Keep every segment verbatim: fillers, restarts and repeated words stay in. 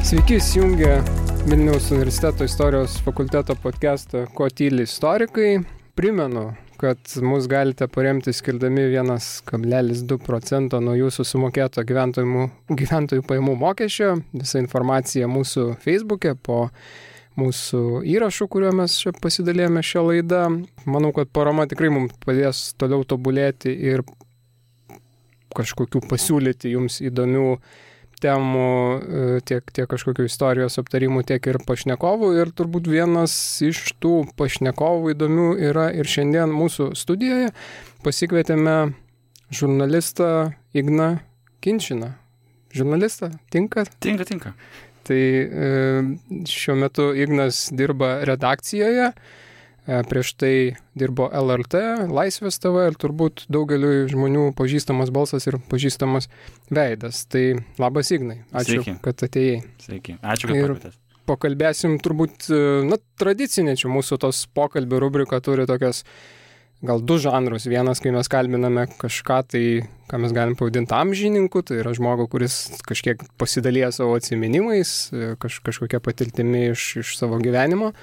Sveiki, įsijungę Vilniaus universiteto istorijos fakulteto podcastą Ko tyli istorikai. Primenu, kad mus galite paremti skirdami vienas kablelis du procento nuo jūsų sumokėto gyventojų, gyventojų pajamų mokesčio. Visa informacija mūsų Facebook'e po mūsų įrašų, kuriuo mes čia pasidalėjome šią laidą. Manau, kad parama tikrai mums padės toliau tobulėti ir kažkokių pasiūlyti jums įdomių temų, tiek, tiek kažkokių istorijos aptarimų, tiek ir pašnekovų. Ir turbūt vienas iš tų pašnekovų įdomių yra ir šiandien mūsų studijoje. Pasikvietėme žurnalistą Igną Kinčiną. Žurnalistą? Tinka? Tinka, tinka. Tai šiuo metu Ignas dirba redakcijoje. Prieš tai dirbo L R T, Laisvės T V ir turbūt daugeliu žmonių pažįstamas balsas ir pažįstamas veidas. Tai labas Ignai, ačiū, Sveiki. Kad atėjai. Sveiki, ačiū, kad pakvietėt. Pakalbėsim turbūt, na, tradicinė čia mūsų tos pokalbių rubrika turi tokias gal du žanrus. Vienas, kai mes kalbiname kažką, tai ką mes galim pavadinti amžininku, tai yra žmogų, kuris kažkiek pasidalija savo atsiminimais, kaž, kažkokia patirtimi iš, iš savo gyvenimo,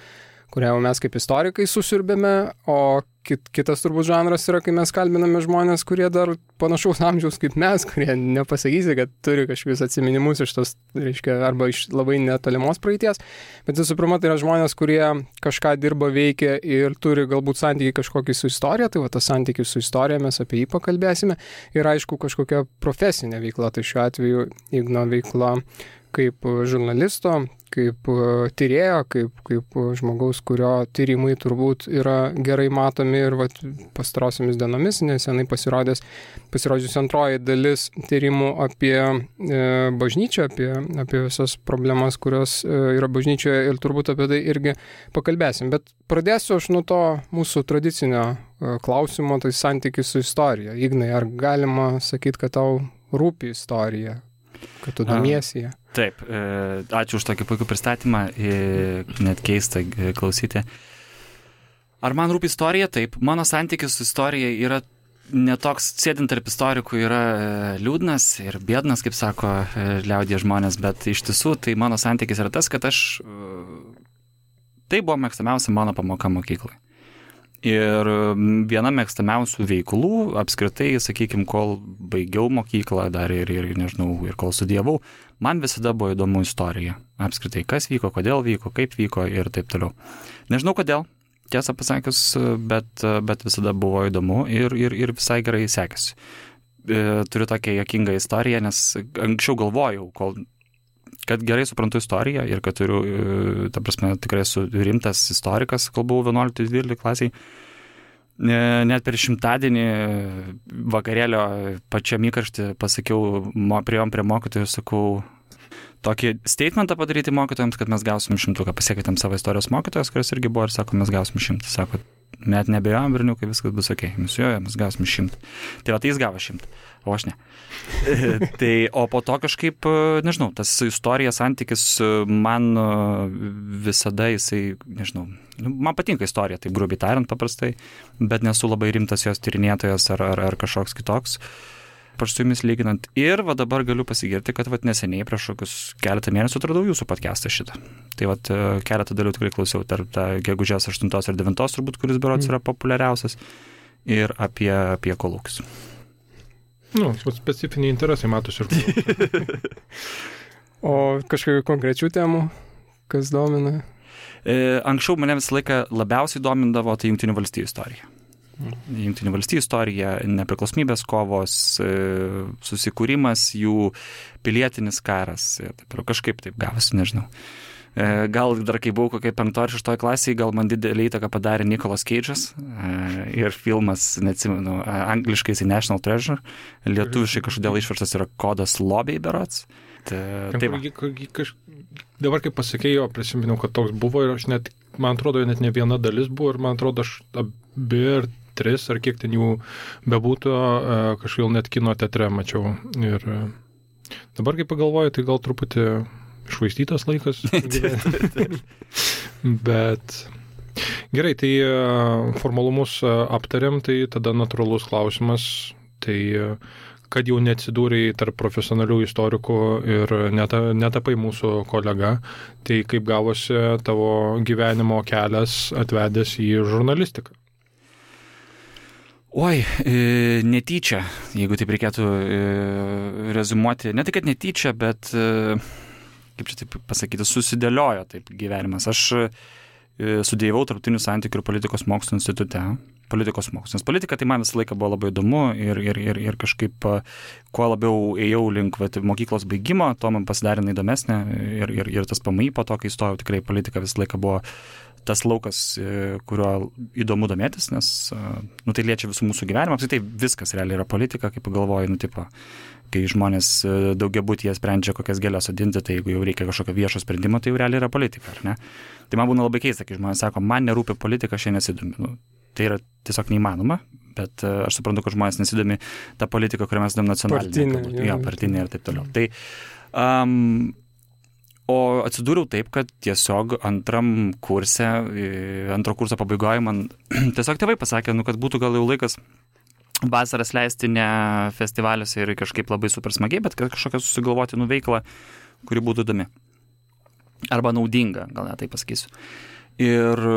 kurią mes kaip istorikai susiurbėme, o kit, kitas turbūt žanras yra, kai mes kalbiname žmonės, kurie dar panašaus amžiaus kaip mes, kurie nepasakysi, kad turi kažkokius atsiminimus iš tos, reiškia, arba iš labai netolimos praeities, bet visų pirma, tai yra žmonės, kurie kažką dirba, veikia ir turi galbūt santykį kažkokį su istorija, tai va tas santykis su istorija, mes apie jį pakalbėsime, ir aišku kažkokia profesinė veikla, tai šiuo atveju Igno veikla kaip žurnalisto, kaip tyrėjo, kaip, kaip žmogaus, kurio tyrimai turbūt yra gerai matomi ir vat, pastarosiomis dienomis, nesenai pasirodęs, pasirodžiusi antroji dalis tyrimų apie e, bažnyčią, apie, apie visas problemas, kurios e, yra bažnyčioje ir turbūt apie tai irgi pakalbėsim. Bet pradėsiu aš nuo to mūsų tradicinio e, klausimo, tai santykis su istorija. Ignai, ar galima sakyti, kad tau rūpi istorija, kad tu domiesi ją? Taip, ačiū už tokį puikų pristatymą, net keista klausyti. Ar man rūpi istorija? Taip, mano santykis su istorija yra netoks, sėdint tarp istorikų, yra liūdnas ir bėdnas, kaip sako liaudie žmonės, bet iš tiesų tai mano santykis yra tas, kad aš, tai buvo mėgstamiausia mano pamoka mokyklai. Ir viena mėgstamiausių veiklų, apskritai, sakykime, kol baigiau mokyklą dar ir, ir, nežinau, ir kol studijavau, man visada buvo įdomu istorija. Apskritai, kas vyko, kodėl vyko, kaip vyko ir taip toliau. Nežinau kodėl, tiesą pasakius, bet, bet visada buvo įdomu ir, ir, ir visai gerai sekėsi. Turiu tokią juokingą istoriją, nes anksčiau galvojau, kol... kad gerai suprantu istoriją ir kad turiu, ta prasme, tikrai esu rimtas istorikas, kol buvau vienuoliktoje dvyliktoje klasiai. Net per šimtadienį vakarėlio pačiam įkarštį pasakiau, priėjom prie mokytojų, sakau, tokį statementą padaryti mokytojams, kad mes gausim šimtuką. Pasiekėtėm savo istorijos mokytojas, kuris irgi buvo ir sako, mes gausim šimtą. Sako, net nebejojom, berniukai, viskas bus ok. Mes jojo, mes gausim šimtą. Tai va, tai jis gavo šimtą, o aš ne. Tai, o po to kažkaip, nežinau, tas istorija santykis man visada jisai, nežinau, man patinka istorija, taip grubiai tariant paprastai, bet nesu labai rimtas jos tyrinėtojas ar, ar, ar kažkoks kitoks. Aš su jumis lyginant. Ir va dabar galiu pasigirti, kad va neseniai prieš kokius keletą mėnesių atradau jūsų podcastą šitą. Tai va keletą dalių tikrai klausiau tarp tą gegužės aštuntos ir devintos turbūt, kuris berods yra populiariausias, ir apie, apie kolūkius. Nu, specifiniai interesai matosi ir kolūkius. O kažkokių konkrečių temų, kas domina? E, anksčiau mane visą laiką labiausiai domindavo tai Jungtinių valstijų istorija. Jungtinių valstijų istorija, nepriklausomybės kovos, susikūrimas, jų pilietinis karas, kažkaip taip gavosi, nežinau. Gal dar kai buvau kokiai penktoje ar šeštoje klasėje, gal man didelį įtaką padarė Nicolas Cage'as ir filmas, neatsimenu, angliškai jisai National Treasure, lietuviškai kažkodėl išverstas yra Kodas lobiai berods. Taip, kaž... Dabar kaip pasakėjau, prisiminiau, kad toks buvo ir aš net, man atrodo, net ne viena dalis buvo ir man atrodo, aš abi ir tris, ar kiek ten jų bebūtų, kažkaip net kino teatre mačiau. Ir dabar, kai pagalvoju, tai gal truputį išvaistytas laikas. Bet gerai, tai formalumus aptariam, tai tada natūralus klausimas, tai kad jau neatsidūrei tarp profesionalių istorikų ir neta, netapai mūsų kolega, tai kaip gavosi tavo gyvenimo kelias atvedęs į žurnalistiką? Oi, e, netyčia, jeigu taip reikėtų e, rezumuoti, ne tai, kad netyčia, bet, e, kaip čia taip pasakyti, susidėliojo taip gyvenimas. Aš e, studijavau Tarptautinių santykių ir politikos mokslų institute. Politikos mokslas. Politika tai man visą laiką buvo labai įdomu ir, ir, ir, ir kažkaip kuo labiau ėjau link vat, mokyklos baigimo, to man pasidarė įdomesnė ir, ir, ir tas P M I po to, kai įstojau, tikrai politika visą laiką buvo tas laukas, kuriuo įdomu domėtis, nes nu, tai liečia visų mūsų gyvenimą, apskritai viskas realiai yra politika, kaip pagalvoju, nu, tipo, kai žmonės daugiabutyje sprendžia kokias gėlės sodinti, tai jeigu jau reikia kažkokio viešo sprendimo, tai jau realiai yra politika, ar ne? Tai man būna labai keista, kai žmonės sako, man nerūpi politika, aš nesidomiu. Nu, tai yra tiesiog neįmanoma, bet aš suprantu, kad žmonės nesidomi tą politiką, kurią mes dom nacionalinę. Partinė. Jo, partinė ir taip toliau. Tai, um, o atsidūriau taip, kad tiesiog antram kurse, antro kurso pabaigoje man tiesiog tėvai pasakė, nu, kad būtų gal jau laikas vasaras leisti ne festivaliuose ir kažkaip labai super smagiai, bet kažkokią susigalvoti nuveiklą, kuri būtų įdomi. Arba naudinga, gal net tai pasakysiu. Ir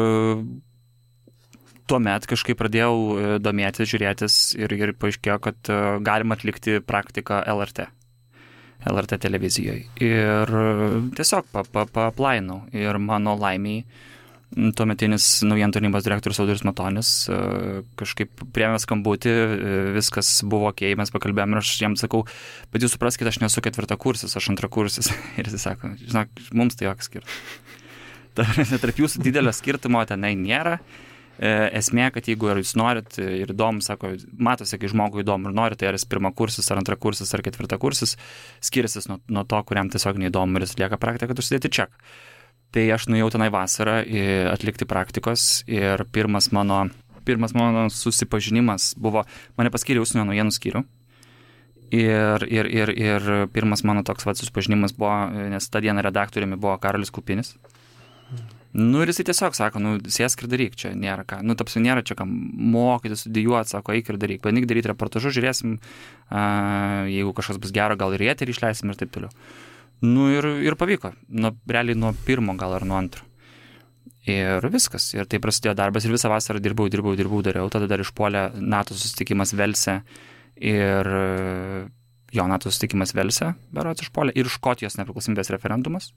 tuomet kažkaip pradėjau domėtis, žiūrėtis ir, ir paaiškėjo, kad galima atlikti praktiką L R T. L R T televizijoje. Ir tiesiog pa-pa-pa-aplainau. Ir mano laimiai tuometinis naujienų tarnybos direktorius Audrius Matonis kažkaip priėmė skambutį, viskas buvo okei, mes pakalbėjome ir aš jam sakau, bet jūs supraskite, aš nesu ketvirtakursis, aš antrakursis. Ir jis sako, žinok, mums tai joks skirtumas. Tarp jūsų didelio skirtumo tenai nėra. Esmė, kad jeigu jūs norit ir įdomu, sako, matosi, kai žmogui įdomu ir norit, tai ar jis pirmakursis, ar antrakursis, ar ketvirtakursis, skiriasi nuo, nuo to, kuriam tiesiog neįdomu ir jis lieka praktiką, kad užsidėti ček. Tai aš nuėjau tenai vasarą atlikti praktikos ir pirmas mano, pirmas mano susipažinimas buvo, mane paskyrė užsienio naujienų skyrių. Ir, ir, ir, ir pirmas mano toks vat, susipažinimas buvo, nes tą dieną redaktoriumi buvo Karolis Kupinis. Nu ir jisai tiesiog sako, nu sėsk ir daryk, čia nėra ką, nu tapsi nėra čia kam mokyti, studijuoti, sako, eik ir daryk, bandyk daryti reportažus, žiūrėsim, a, jeigu kažkas bus gero, gal ir eterį išleisim ir taip toliau. Nu ir, ir pavyko, nu, realiai nuo pirmo gal ar nuo antro. Ir viskas, ir tai prasidėjo darbas ir visą vasarą dirbau, dirbau, dirbau, dariau, tada dar išpuolė NATO susitikimas Velse ir jo NATO susitikimas Velse, berods išpuolė, ir Škotijos nepriklausomybės referendumas.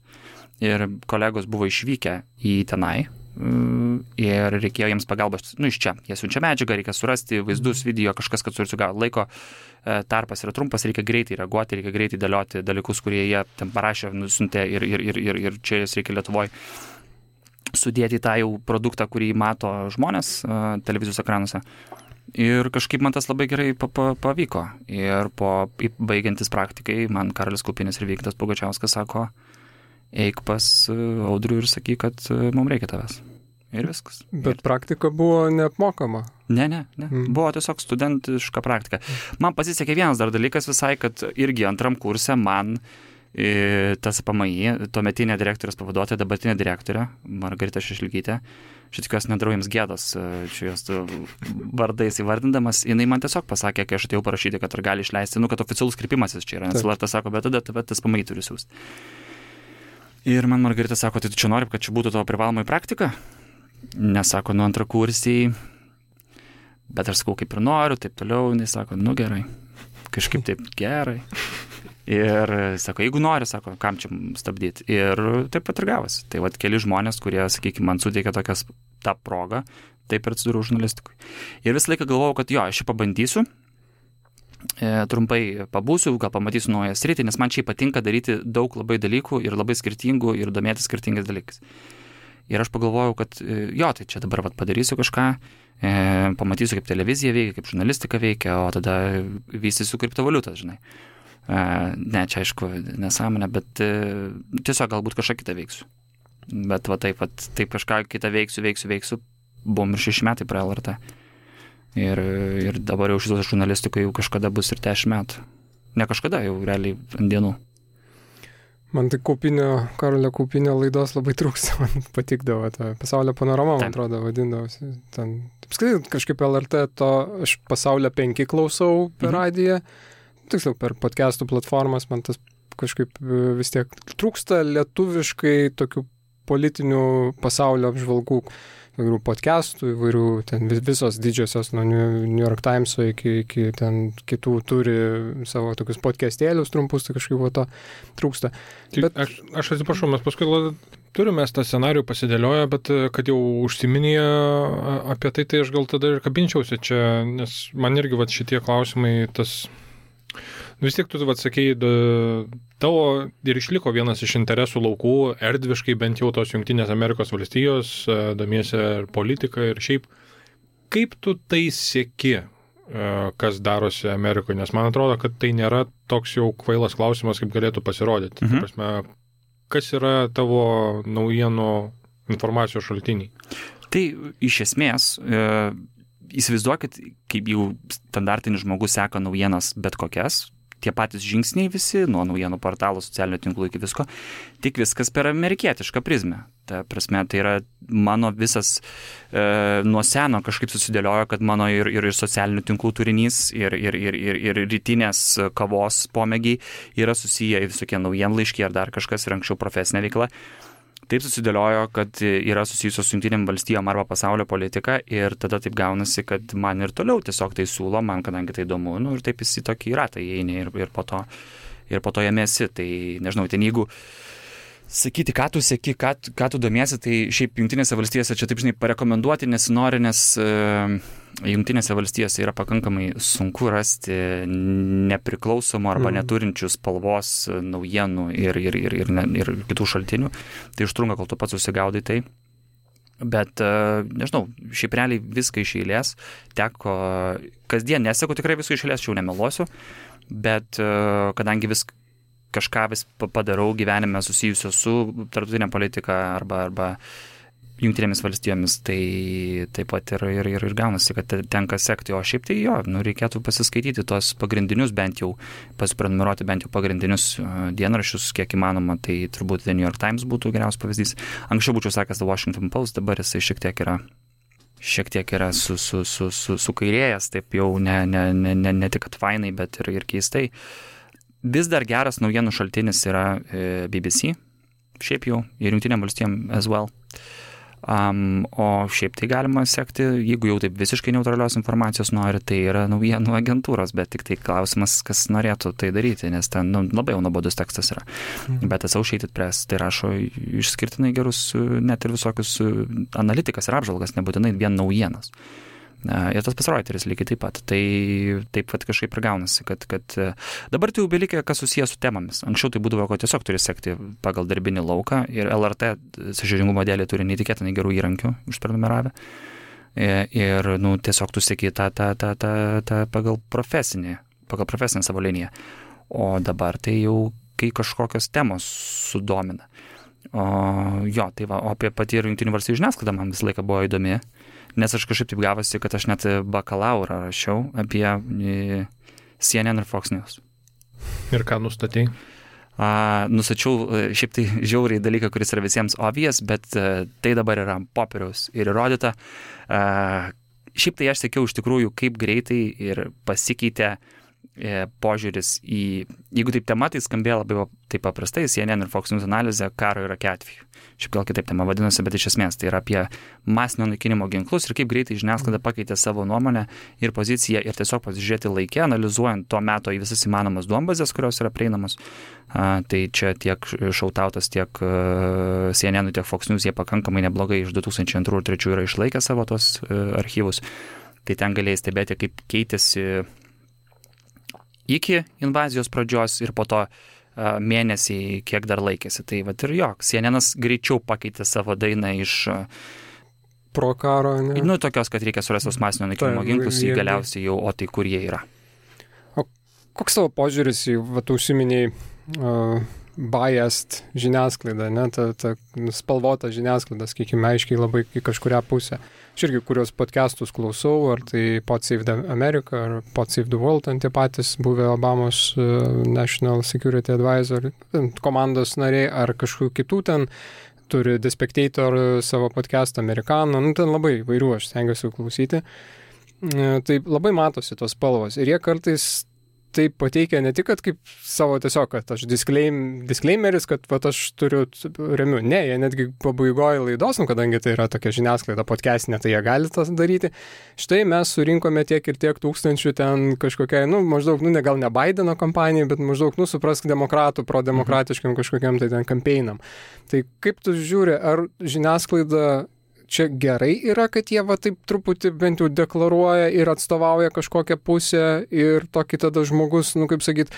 Ir kolegos buvo išvykę į tenai ir reikėjo jiems pagalbos, nu iš čia, jie siunčia medžiagą, reikia surasti vaizdus, video, kažkas, kad susigavo laiko, tarpas yra trumpas, reikia greitai reaguoti, reikia greitai dėlioti dalykus, kurie jie ten parašė, nusiuntė ir, ir, ir, ir, ir čia jas reikia Lietuvoje sudėti tą jau produktą, kurį mato žmonės televizijos ekranuose. Ir kažkaip man tas labai gerai pavyko. Ir po baigiantis praktikai, man Karolis Kupinis ir Vyktas Pugačiauskas sako, eik pas Audrių ir sakyk, kad mums reikia tavęs. Ir viskas. Bet ir... praktika buvo neapmokama. Ne, ne, ne. Mm. Buvo tiesiog studentiška praktika. Man pasisekė vienas dar dalykas visai, kad irgi antram kurse man tas P M I, tuometinė direktorės pavaduotoja, dabartinė direktorė, Margarita Šešelgytė, šit tikiuosi nedarau jiems gėdos, čia jos vardais įvardindamas, jinai man tiesiog pasakė, kai aš atėjau parašyti, kad ar gali išleisti, nu, kad oficialus kreipimasis čia yra, nes L R T sako, bet tada tas P M I turi siūsti. Ir man Margarita sako, tai tu čia nori, kad čia būtų tavo privalomai praktika? Nesako, nu antrą kursiai, bet aš sakau, kaip ir noriu, taip toliau, jinai sako, nu gerai, kažkaip taip gerai. Ir sako, jeigu nori, sako, kam čia stabdyti. Ir taip pat ir gavosi. Tai vat keli žmonės, kurie, sakykime, man suteikė tokias tą progą, taip ir atsidūriau žurnalistikui. Ir visą laiką galvojau, kad jo, aš čia pabandysiu, e, trumpai pabūsiu, gal pamatysiu naują sritį, nes man čia patinka daryti daug labai dalykų ir labai skirtingų ir domėtis skirtingais dalykais. Ir aš pagalvojau, kad jo, tai čia dabar vat padarysiu kažką, e, pamatysiu, kaip televizija veikia, kaip žurnalistika veikia, o tada vystysiu kriptovaliutą, žinai. Uh, ne, čia aišku, nesąmonė, bet uh, tiesiog galbūt kažką kitą veiksiu. Bet va taip, va, taip kažką kitą veiksiu, veiksiu, veiksiu, buvom ir šeši metai prie L R T. Ir, ir dabar jau šitos žurnalistikoje jau kažkada bus ir dešimt metų. Ne kažkada, jau realiai ant dienų. Man tai Kaupinio, Karolio Kaupinio laidos labai trūksta, man patikdavo ta Pasaulio panorama, man atrodo, vadindavosi. Ten, taip skaitai, kažkaip L R T to, aš Pasaulio penki klausau per radiją. tiksliau, per podcastų platformas man tas kažkaip vis tiek trūksta lietuviškai tokių politinių pasaulio apžvalgų, įvairių podcastų, įvairių ten visos didžiosios nuo New York Times'o iki, iki ten kitų turi savo tokius podcastėlius trumpus, tai kažkaip to trūksta. Bet... Aš, aš atsiprašau, mes paskui turime tą scenarių pasidėlioję, bet kad jau užsiminėję apie tai, tai aš gal tada ir kabinčiausi čia, nes man irgi va, šitie klausimai, tas vis tiek tu atsakei, tavo ir išliko vienas iš interesų laukų, erdviškai bent jau tos Jungtinės Amerikos valstijos, domiesi ir politiką ir šiaip. Kaip tu tai seki, kas darosi Amerikoje? Nes man atrodo, kad tai nėra toks jau kvailas klausimas, kaip galėtų pasirodyti. Mhm. Prasme, kas yra tavo naujienų informacijos šaltiniai? Tai iš esmės... E... Įsivaizduokit, kaip jau standartinis žmogus seka naujienas bet kokias, tie patys žingsniai visi, nuo naujienų portalų, socialinių tinklų iki visko, tik viskas per amerikietišką prizmę. Ta prasme, tai yra mano visas, e, nuo seno kažkaip susidėliojo, kad mano ir, ir, ir socialinių tinklų turinys, ir, ir, ir, ir, ir rytinės kavos pomėgiai yra susiję į visokie naujienlaiškiai ar dar kažkas ir anksčiau profesinė veikla. Taip susidėliojo, kad yra susijusios su Jungtinėm valstijom arba pasaulio politika ir tada taip gaunasi, kad man ir toliau tiesiog tai siūlo, man kadangi tai įdomu, nu, ir taip jis į tokį ratą įeini ir, ir, po to, ir po to jame esi. Tai nežinau, ten jeigu sakyti, ką tu seki, ką, ką tu domiesi, tai šiaip Jungtinėse valstijose čia taip, žinai, parekomenduoti nesinori, nes uh, Jungtinėse valstijose yra pakankamai sunku rasti nepriklausomų arba mm. neturinčių spalvos naujienų ir, ir, ir, ir, ne, ir kitų šaltinių. Tai užtrunka, kol tu pats susigaudai tai. Bet, uh, nežinau, šiaip realiai viską iš eilės teko, kasdien neseku tikrai viską iš eilės, čia jau nemeluosiu, bet uh, kadangi vis kažką vis padarau gyvenime susijusio su tarptautinė politika arba, arba Jungtinėmis valstijomis, tai taip pat ir, ir, ir, ir gaunasi, kad tenka sekti, o šiaip tai jo, nu, reikėtų pasiskaityti tos pagrindinius, bent jau pasiprenumeruoti bent jau pagrindinius dienraščius, kiek įmanoma, tai turbūt The New York Times būtų geriausias pavyzdys. Anksčiau būčiau sakęs The Washington Post, dabar jisai šiek tiek yra šiek tiek yra su, su, su, su, sukairėjęs, taip jau ne, ne, ne, ne, ne tik atfainai, bet ir, ir keistai. Vis dar geras naujienų šaltinis yra B B C, šiaip jau, ir Jungtinėm valstijom as well. Um, o šiaip tai galima sekti, jeigu jau taip visiškai neutralios informacijos nori, tai yra naujienų agentūros, bet tik tai klausimas, kas norėtų tai daryti, nes ten nu, labai jau nuobodus tekstas yra. Mhm. Bet Associated Press tai rašo išskirtinai gerus, net ir visokius analitikas ir apžvalgas, nebūtinai vien naujienas. Ir tas pats Reuteris lygiai taip pat. Tai taip pat kažkaip ir gaunasi, kad, kad dabar tai jau belikė, kas susijęs su temomis. Anksčiau tai būdavo, kad tiesiog turi sekti pagal darbinį lauką ir L R T sąžiningumo dėlė turi neįtikėtinai gerų įrankių užprenumeravę. Ir nu, tiesiog tu seki tą, tą, tą, tą, tą pagal profesinį, pagal profesinę savo liniją. O dabar tai jau, kai kažkokios temos sudomina. O jo, tai va, o apie patį ir Jungtinių valstijų žiniasklaidą man visą laiką buvo įdomi. Nes aš kažkaip taip gavosi, kad aš net bakalaurą rašiau apie C N N ir Fox News. Ir ką nustatei? A, nustačiau šiaip tai žiauriai dalyką, kuris yra visiems obvious, bet a, tai dabar yra popieriaus ir įrodyta. A, šiaip tai aš sakiau iš tikrųjų, kaip greitai ir pasikeitė e, požiūris į, jeigu taip tema, tai skambėjo labai taip paprastai, C N N ir Fox News analizė karo Irake atveju. Šiaip gal kitaip tema vadinasi, bet iš esmės tai yra apie masinio naikinimo ginklus ir kaip greitai žiniasklaida pakeitė savo nuomonę ir poziciją ir tiesiog pasižiūrėti laike, analizuojant to meto į visas įmanomas duombazės, kurios yra prieinamos. A, tai čia tiek Šautautas, tiek uh, C N N, tiek Fox News, jie pakankamai neblogai iš du tūkstančiai antrų ir trečių yra išlaikę savo tos uh, archyvus. Tai ten galėjai stebėti, kaip keitėsi iki invazijos pradžios ir po to mėnesiai, kiek dar laikėsi. Tai vat ir jo, C N N-as greičiau pakeitė savo dainą iš pro karo, ne? Nu, tokios, kad reikia surasti tos masinio naikinimo ginklus, į galiausiai jau, o tai kur jie yra. O koks tavo požiūris į, vat, užsiminiai uh, biased žiniasklaidą, ne? Ta, ta spalvota žiniasklaida, sakykime, aiškiai labai į kažkurią pusę. Aš irgi, kurios podcastus klausau, ar tai Pod Save the America, ar Pod Save the World, ant tie patys buvę Obamos uh, National Security Advisor komandos nariai, ar kažkokių kitų ten turi The Spectator savo podcastą Amerikaną, nu ten labai vairių aš stengiuosi klausyti. Uh, tai labai matosi tos spalvos ir jie kartais tai pateikia ne tik, kad kaip savo tiesiog, kad aš disclaim, disclaimeris, kad vat, aš turiu remiu. Ne, jie netgi pabaigoje laidos, nu, kadangi tai yra tokia žiniasklaida podcastinė, tai jie gali tas daryti. Štai mes surinkome tiek ir tiek tūkstančių ten kažkokiai, nu, maždaug, nu, ne, gal ne Bideno kampanijai, bet maždaug, nu, suprask demokratų, prodemokratiškiam kažkokiam tai ten kampeinam. Tai kaip tu žiūri, ar žiniasklaida čia gerai yra, kad jie va taip truputį bent jau deklaruoja ir atstovauja kažkokią pusę ir tokį tada žmogus, nu kaip sakyt,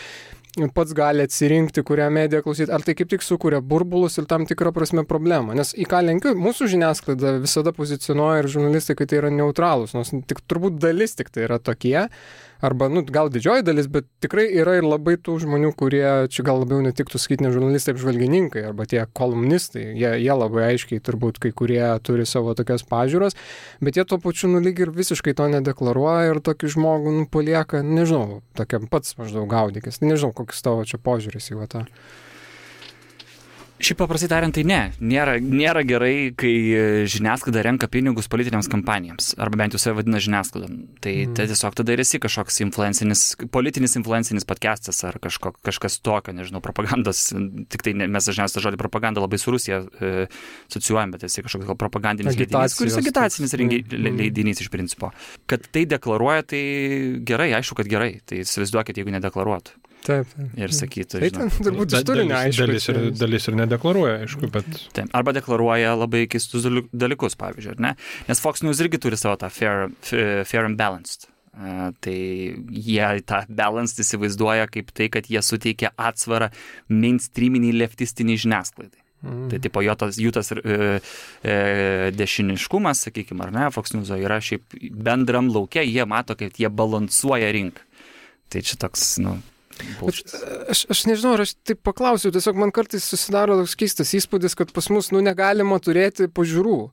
pats gali atsirinkti, kurią mediją klausyti, ar tai kaip tik sukuria burbulus ir tam tikrą prasme problemą. Nes į ką lenkiu, mūsų žiniasklaida visada pozicionuoja ir žurnalistai, kad tai yra neutralūs, nors tik turbūt dalis tik tai yra tokie, arba, nu, gal didžioji dalis, bet tikrai yra ir labai tų žmonių, kurie, čia gal labiau netiktų sakyti ne žurnalistai, apžvalgininkai, arba tie kolumnistai, jie, jie labai aiškiai turbūt kai kurie turi savo tokias pažiūros, bet jie tuo pačiu, nu, lyg ir visiškai to nedeklaruoja ir tokį žmogų, nu, palieka, nežinau, tokiam pats maždaug gaudykis, nežinau, koks tavo čia požiūris į tą. Šiaip paprastai tariant, tai ne. Nėra, nėra gerai, kai žiniasklaida renka pinigus politinėms kampanijams, arba bent jau save vadina žiniasklaida. Tai, mm. tai tiesiog tada ir esi kažkoks influencinis, politinis influencinis podcastas ar kažko, kažkas tokio, nežinau, propagandos, tik tai ne, mes dažniausiai žodį propaganda labai su Rusija e, asocijuojam, bet esi kažkoks gal propagandinis leidinys, kuris agitacinis rengi, mm. leidinys iš principo. Kad tai deklaruoja, tai gerai, aišku, kad gerai. Tai įsivaizduokit, jeigu nedeklaruotų. Taip, taip. Ir sakytų, tai žinau. Tai turbūt iš turinio aišku. Dalis ir, dalis ir nedeklaruoja, aišku, bet... Taip. Arba deklaruoja labai keistus dalykus, pavyzdžiui, ar ne? Nes Fox News irgi turi savo tą fair, fair and balanced. Uh, tai jie tą balanced įsivaizduoja kaip tai, kad jie suteikia atsvarą mainstreaminiai leftistiniai žiniasklaidai. Mm. Tai tipo jų tas, jų tas e, e, dešiniškumas, sakykime, ar ne, Fox News yra šiaip bendram lauke, jie mato, kad jie balansuoja rinką. Tai čia toks, nu... Aš, aš nežinau, ar aš taip paklausiu, tiesiog man kartais susidaro toks keistas įspūdis, kad pas mus, nu, negalima turėti pažiūrų.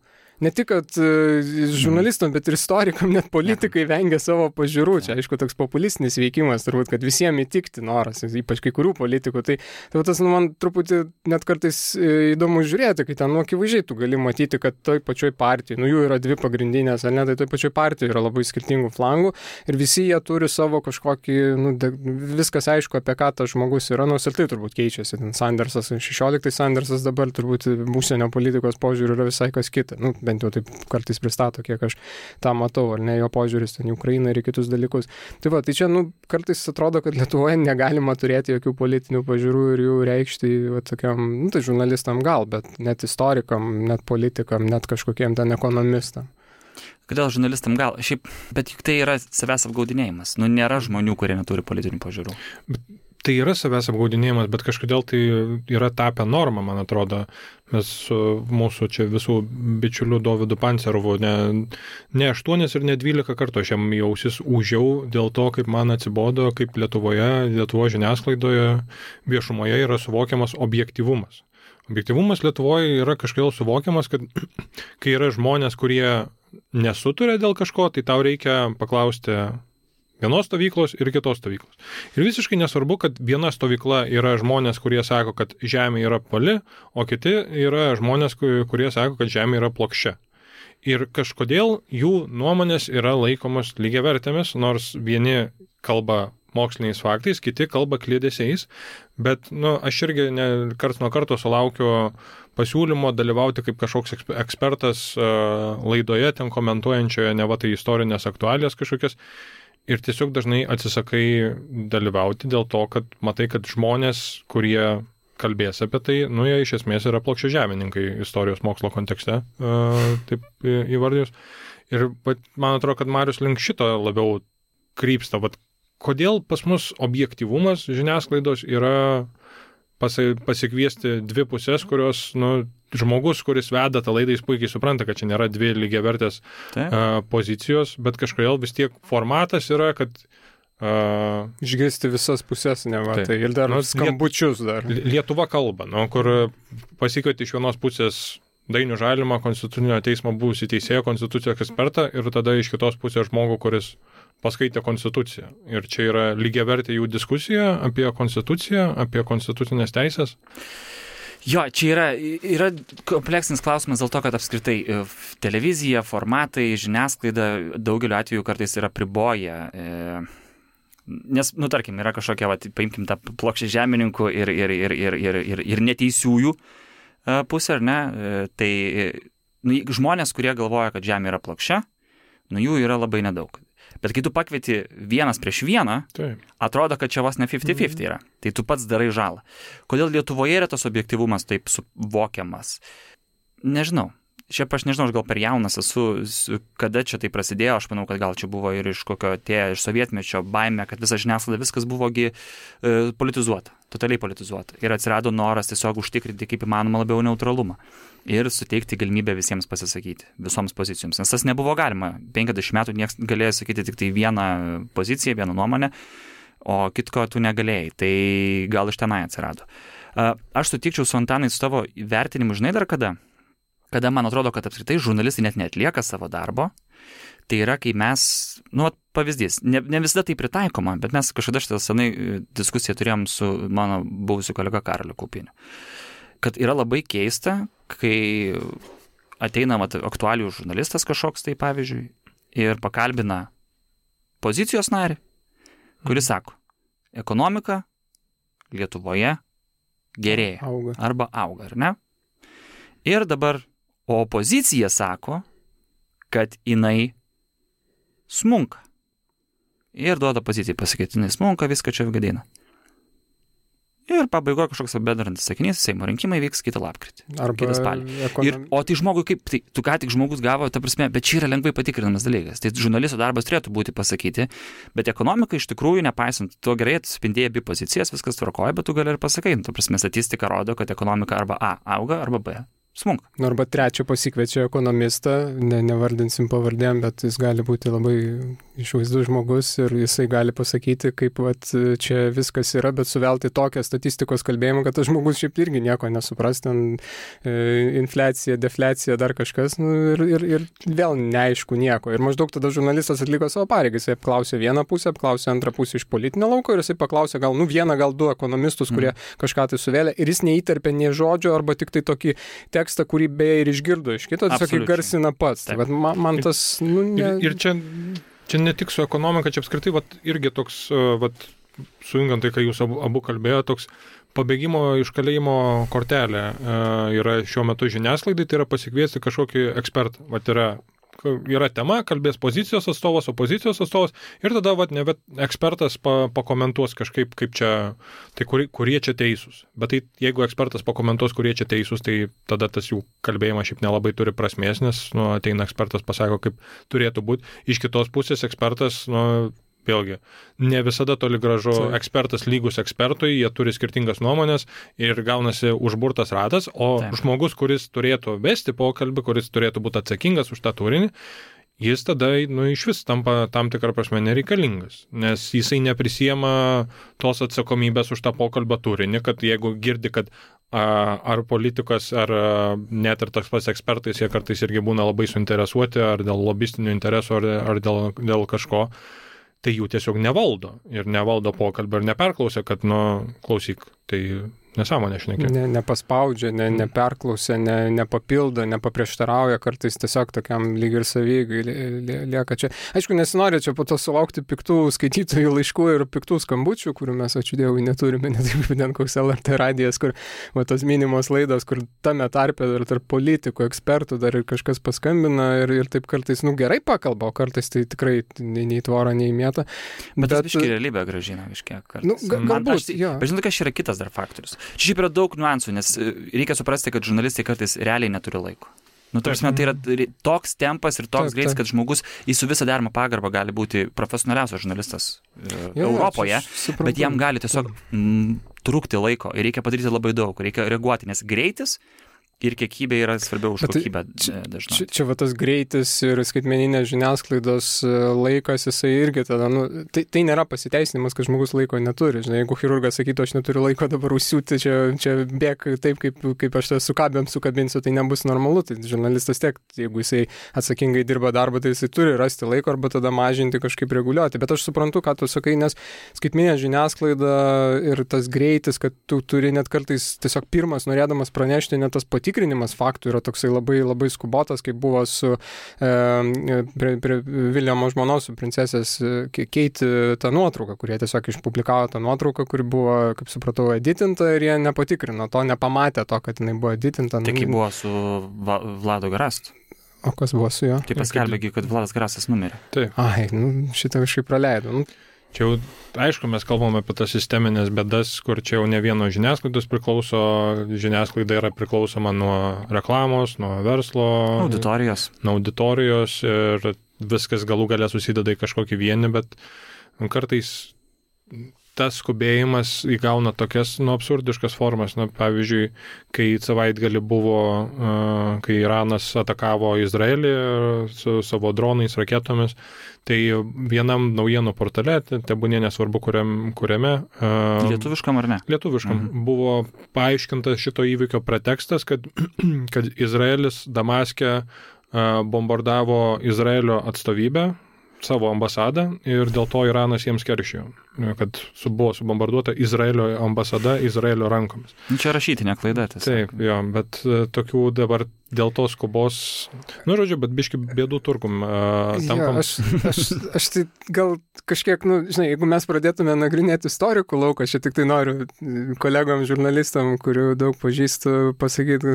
Ne tik, kad uh, žurnalistam, bet ir istorikam, net politikai vengia savo pažiūrų. Čia, aišku, toks populistinis veikimas, turbūt, kad visiems įtikti noras, ypač kai kurių politikų. Tai, tai tas, nu, man truputį net kartais įdomu žiūrėti, kai ten, nu, akivaizdžiai tu gali matyti, kad toj pačioj partijai, nu, jų yra dvi pagrindinės, ar ne, tai toj pačioj partijai yra labai skirtingų flangų ir visi jie turi savo kažkokį, nu, de, viskas aišku, apie ką tas žmogus yra, nors ir tai turbūt keičiasi. Ten Sandersas, šešioliktas Sandersas dabar turbūt užsienio politikos požiūrį yra visai kas kita. Nu, bent jau taip kartais pristato, kiek aš tą matau, ar ne, jo požiūris ten į Ukrainą ir į kitus dalykus. Tai va, tai čia, nu, kartais atrodo, kad Lietuvoje negalima turėti jokių politinių pažiūrų ir jų reikšti, va, tokiam, nu, tai žurnalistam gal, bet net istorikam, net politikam, net kažkokiem ten ekonomistam. Kodėl žurnalistam gal? Šiaip, bet juk tai yra savęs apgaudinėjimas. Nu, nėra žmonių, kurie neturi politinių pažiūrų. Bet tai yra savęs apgaudinėjimas, bet kažkodėl tai yra tapę normą, man atrodo. Mes su mūsų čia visų bičiulių Dovydu Pancerovu ne, ne aštuonis ir ne dvylika kartų aš jam į ausis ūžiau dėl to, kaip man atsibodo, kaip Lietuvoje, Lietuvo žiniasklaidoje, viešumoje yra suvokiamas objektyvumas. Objektyvumas Lietuvoje yra kažkodėl suvokiamas, kad kai yra žmonės, kurie nesuturia dėl kažko, tai tau reikia paklausti vienos stovyklos ir kitos stovyklos. Ir visiškai nesvarbu, kad viena stovykla yra žmonės, kurie sako, kad žemė yra pali, o kiti yra žmonės, kurie sako, kad žemė yra plokščia. Ir kažkodėl jų nuomonės yra laikomos lygiavertėmis, nors vieni kalba moksliniais faktais, kiti kalba kliedesiais, bet nu, aš irgi ne, karts nuo karto sulaukiu pasiūlymo dalyvauti kaip kažkoks ekspertas uh, laidoje, ten komentuojančioje ne va tai istorinės aktualijas kažkokias. Ir tiesiog dažnai atsisakai dalyvauti dėl to, kad matai, kad žmonės, kurie kalbės apie tai, nu, jie iš esmės yra plokščiažemininkai istorijos mokslo kontekste, uh, taip įvardijus. Ir bet, man atrodo, kad Marius link šito labiau krypsta. Bet kodėl pas mus objektyvumas žiniasklaidos yra pasi, pasikviesti dvi pusės, kurios, nu, žmogus, kuris veda tą laidą, jis puikiai supranta, kad čia nėra dvi lygiavertės uh, pozicijos, bet kažkodėl vis tiek formatas yra, kad uh, išgirsti visas pusės, ne va, tai ir dar nu, skambučius dar. Lietuva kalba, nu, kur pasikvieti iš vienos pusės Dainių Žalimą, Konstitucinio teismo buvusį teisėją, konstitucijos ekspertą ir tada iš kitos pusės žmogų, kuris paskaitė konstituciją. Ir čia yra lygiavertė jų diskusija apie konstituciją, apie konstitucinės teisės. Jo, čia yra, yra kompleksinis klausimas dėl to, kad apskritai televizija, formatai, žiniasklaida daugeliu atveju kartais yra priboję e, Nes, nu, tarkim, yra kažkokia, va, paimkim tą plokščią žemininkų ir, ir, ir, ir, ir, ir, ir neteisiųjų pusę, ar ne? Tai nu, žmonės, kurie galvoja, kad žemė yra plokščia, nu, jų yra labai nedaug. Bet kai tu pakvieti vienas prieš vieną, Taip. atrodo, kad čia vos ne fifty fifty yra. Tai tu pats darai žalą. Kodėl Lietuvoje yra tas objektyvumas taip suvokiamas? Nežinau. Šiaip aš nežinau, aš gal per jaunas esu, kada čia tai prasidėjo, aš manau, kad gal čia buvo ir iš kokio atėjo, iš sovietmečio baimė, kad visa žiniasklaida viskas buvogi e, politizuota, totaliai politizuota. Ir atsirado noras tiesiog užtikrinti kaip įmanoma labiau neutralumą ir suteikti galimybę visiems pasisakyti, visoms pozicijoms. Nes tas nebuvo galima. penkiasdešimt metų niekas galėjo sakyti tik tai vieną poziciją, vieną nuomonę, o kitko tu negalėjai. Tai gal iš tenai atsirado. Aš sutikčiau su Antanai su tavo vertinimu, žinai dar kada? Kada man atrodo, kad apskritai žurnalistai net neatlieka savo darbo, tai yra, kai mes, nu, pavyzdys, ne, ne visada tai pritaikoma, bet mes kažkada šitą senai diskusiją turėjom su mano buvusiu kolega Karoliu Kaupiniu, kad yra labai keista, kai ateina mat, aktualijų žurnalistas kažkoks, tai pavyzdžiui, ir pakalbina pozicijos narį, kuris sako, ekonomika Lietuvoje gerėja auga. Arba auga, ar ne? Ir dabar o opozicija sako, kad jinai smunka. Ir duoda pozicijai pasakyti, jinai smunka, viską čia gadina. Ir pabaigoje kažkoks bendrantis sakinys, Seimo rinkimai vyks kitą lapkritį. Arba kitą spalį. ekonom... Ir, o tai žmogui kaip, tai, tu ką tik žmogus gavo, ta prasme, bet čia yra lengvai patikrinamas dalykas. Tai žurnalisto darbas turėtų būti pasakyti, bet ekonomika iš tikrųjų, nepaisant, tu gerai atspindėjai abi pozicijas, viskas tvarkoja, bet tu gali ir pasakai. Ta prasme, statistika rodo, kad ekonomika arba A auga, arba B smunka. Nu, arba trečią pasikviečia ekonomistą, ne, nevardinsim pavardėm, bet jis gali būti labai išvaizdus žmogus ir jisai gali pasakyti, kaip vat, čia viskas yra, bet suvelti tokią statistikos kalbėjimą, kad tas žmogus šiaip irgi nieko nesupras, ten e, infliacija, defliacija, dar kažkas, nu, ir, ir, ir vėl neaišku nieko. Ir maždaug tada žurnalistas atliko savo pareigą, jisai apklausė vieną pusę, apklausė antrą pusę iš politinio lauko ir jisai paklausė gal, nu, vieną, gal du ekonomistus, kurie mm. kažką tai suvėlė ir jis neįterpė nei žodžio arba tik tai tokį tekstą, kurį beje ir išgirdo iš kito, tiesiog įgarsina pats. Tai, vat, man, man tas... Nu, ne... Ir, ir čia, čia ne tik su ekonomika, čia apskritai vat, irgi toks, vat, sujungiant tai, kai jūs abu, abu kalbėjo, toks pabėgimo iš kalėjimo kortelė yra šiuo metu žiniasklaidai, tai yra pasikviesti kažkokį ekspertą. Vat yra, yra tema, kalbės pozicijos atstovas, opozicijos atstovas ir tada vat, ne, ekspertas pa, pakomentuos kažkaip, kaip čia, tai kur, kurie čia teisūs. Bet tai jeigu ekspertas pakomentuos, kurie čia teisūs, tai tada tas jų kalbėjimas šiaip nelabai turi prasmės, nes nu, ateina ekspertas, pasako, kaip turėtų būti. Iš kitos pusės ekspertas, nu, vėlgi, ne visada toli gražu Taip. Ekspertas lygus ekspertui, jie turi skirtingas nuomonės ir gaunasi užburtas ratas, o Taip. Žmogus, kuris turėtų vesti pokalbį, kuris turėtų būti atsakingas už tą turinį, jis tada nu, iš vis tampa tam tikrą prasme nereikalingas, nes jisai neprisiema tos atsakomybės už tą pokalbio turinį, kad jeigu girdi, kad a, ar politikas, ar a, net ir tas pats ekspertais, jie kartais irgi būna labai suinteresuoti, ar dėl lobistinių interesų, ar, ar dėl, dėl kažko, tai jų tiesiog nevaldo ir nevaldo pokalbio ir neperklausia, kad, nu, klausyk, tai nesąmonė šnekė. Ne, nepaspaudžia, ne, neperklausia, ne, nepapildo, nepaprieštarauja, kartais tiesiog tokiam lyg ir savygai lieka čia. Aišku, nesinori čia po to sulaukti piktų skaitytojų laiškų ir piktų skambučių, kurių mes, ačiū Dievui, neturime, net kaip ten koks L R T radijas, kur va, tos minimos laidos, kur tame tarpe dar tarp politikų, ekspertų dar ir kažkas paskambina ir, ir taip kartais, nu, gerai pakalba, o kartais tai tikrai nei, nei tvora, nei mėta. Bet, bet tas biški realybė gražina kažkiek kartais. Nu, ga, galbūt, aš, jo. Bet žinot, kas yra kitas dar faktorius. Čia šiaip yra daug niuansų, nes reikia suprasti, kad žurnalistai kartais realiai neturi laiko. Nu, tarsi, tai yra toks tempas ir toks greitis, kad žmogus į su visą deramą pagarbą gali būti profesionaliausias žurnalistas jo, Europoje, jo, bet jam gali tiesiog m, trūkti laiko ir reikia padaryti labai daug, reikia reaguoti, nes greitis ir kiekybė yra svarbiau už kokybę dažnai. Čia, čia va tas greitis ir skaitmeninės žiniasklaidos laikas, jisai irgi tada, nu, tai, tai nėra pasiteisinimas, kad žmogus laiko neturi. Žinai, jeigu chirurgas sakytų, aš neturiu laiko dabar užsiūti, čia, čia bėg taip, kaip, kaip aš su kabėm sukabinsiu, tai nebus normalu. Tai žurnalistas tiek, jeigu jisai atsakingai dirba darbą, tai jisai turi rasti laiko arba tada mažinti, kažkaip reguliuoti. Bet aš suprantu, ką tu sakai, nes skaitmeninė žiniasklaida ir tas greitis, kad tu turi net kartais tiesiog pirmas norėdamas pranešti, net tas pati patikrinimas faktų yra toksai labai, labai skubotas, kaip buvo su e, prie, prie Viljamo žmonos, su princesės Keiti tą nuotrauką, kurie tiesiog išpublikavo tą nuotrauką, kuri buvo, kaip supratau, editinta ir jie nepatikrino to, nepamatė to, kad jinai buvo editinta. Tai kaip buvo su Va- Vlado Garastu. O kas buvo su juo? Tai paskelbėgi, kad Vladas Garastas numirė. Taip. Ai, nu, šitą kažkaip praleidau. Nu, Čia jau, aišku, mes kalbame apie tas sisteminės bėdas, kur čia jau ne vieno žiniasklaidos priklauso, žiniasklaida yra priklausoma nuo reklamos, nuo verslo, Auditorijos. nuo auditorijos ir viskas galų galę susideda į kažkokį vienį, bet kartais tas skubėjimas įgauna tokias nu, absurdiškas formas. Na, pavyzdžiui, kai savaitgalį buvo, uh, kai Iranas atakavo Izraelį su savo dronais, raketomis, tai vienam naujienų portale, tebūnė nesvarbu kuriam, kuriame. Uh, Lietuviškam ar ne? Lietuviškam. Mhm. Buvo paaiškintas šito įvykio pretekstas, kad, kad Izraelis Damaske uh, bombardavo Izraelio atstovybę, savo ambasadą ir dėl to Iranas jiems keršijo, kad su, buvo subombarduota Izraelio ambasada Izraelio rankomis. Čia rašytinė klaida. Tiesiog. Taip, jo, bet uh, tokių dabar dėl tos skubos, nu, žodžiu, bet biški bėdų turgum uh, tampam. Ja, aš, aš, aš tai gal kažkiek, nu, žinai, jeigu mes pradėtume nagrinėti istorikų lauką, aš tik tai noriu kolegom žurnalistam, kurių daug pažįstu, pasakyti,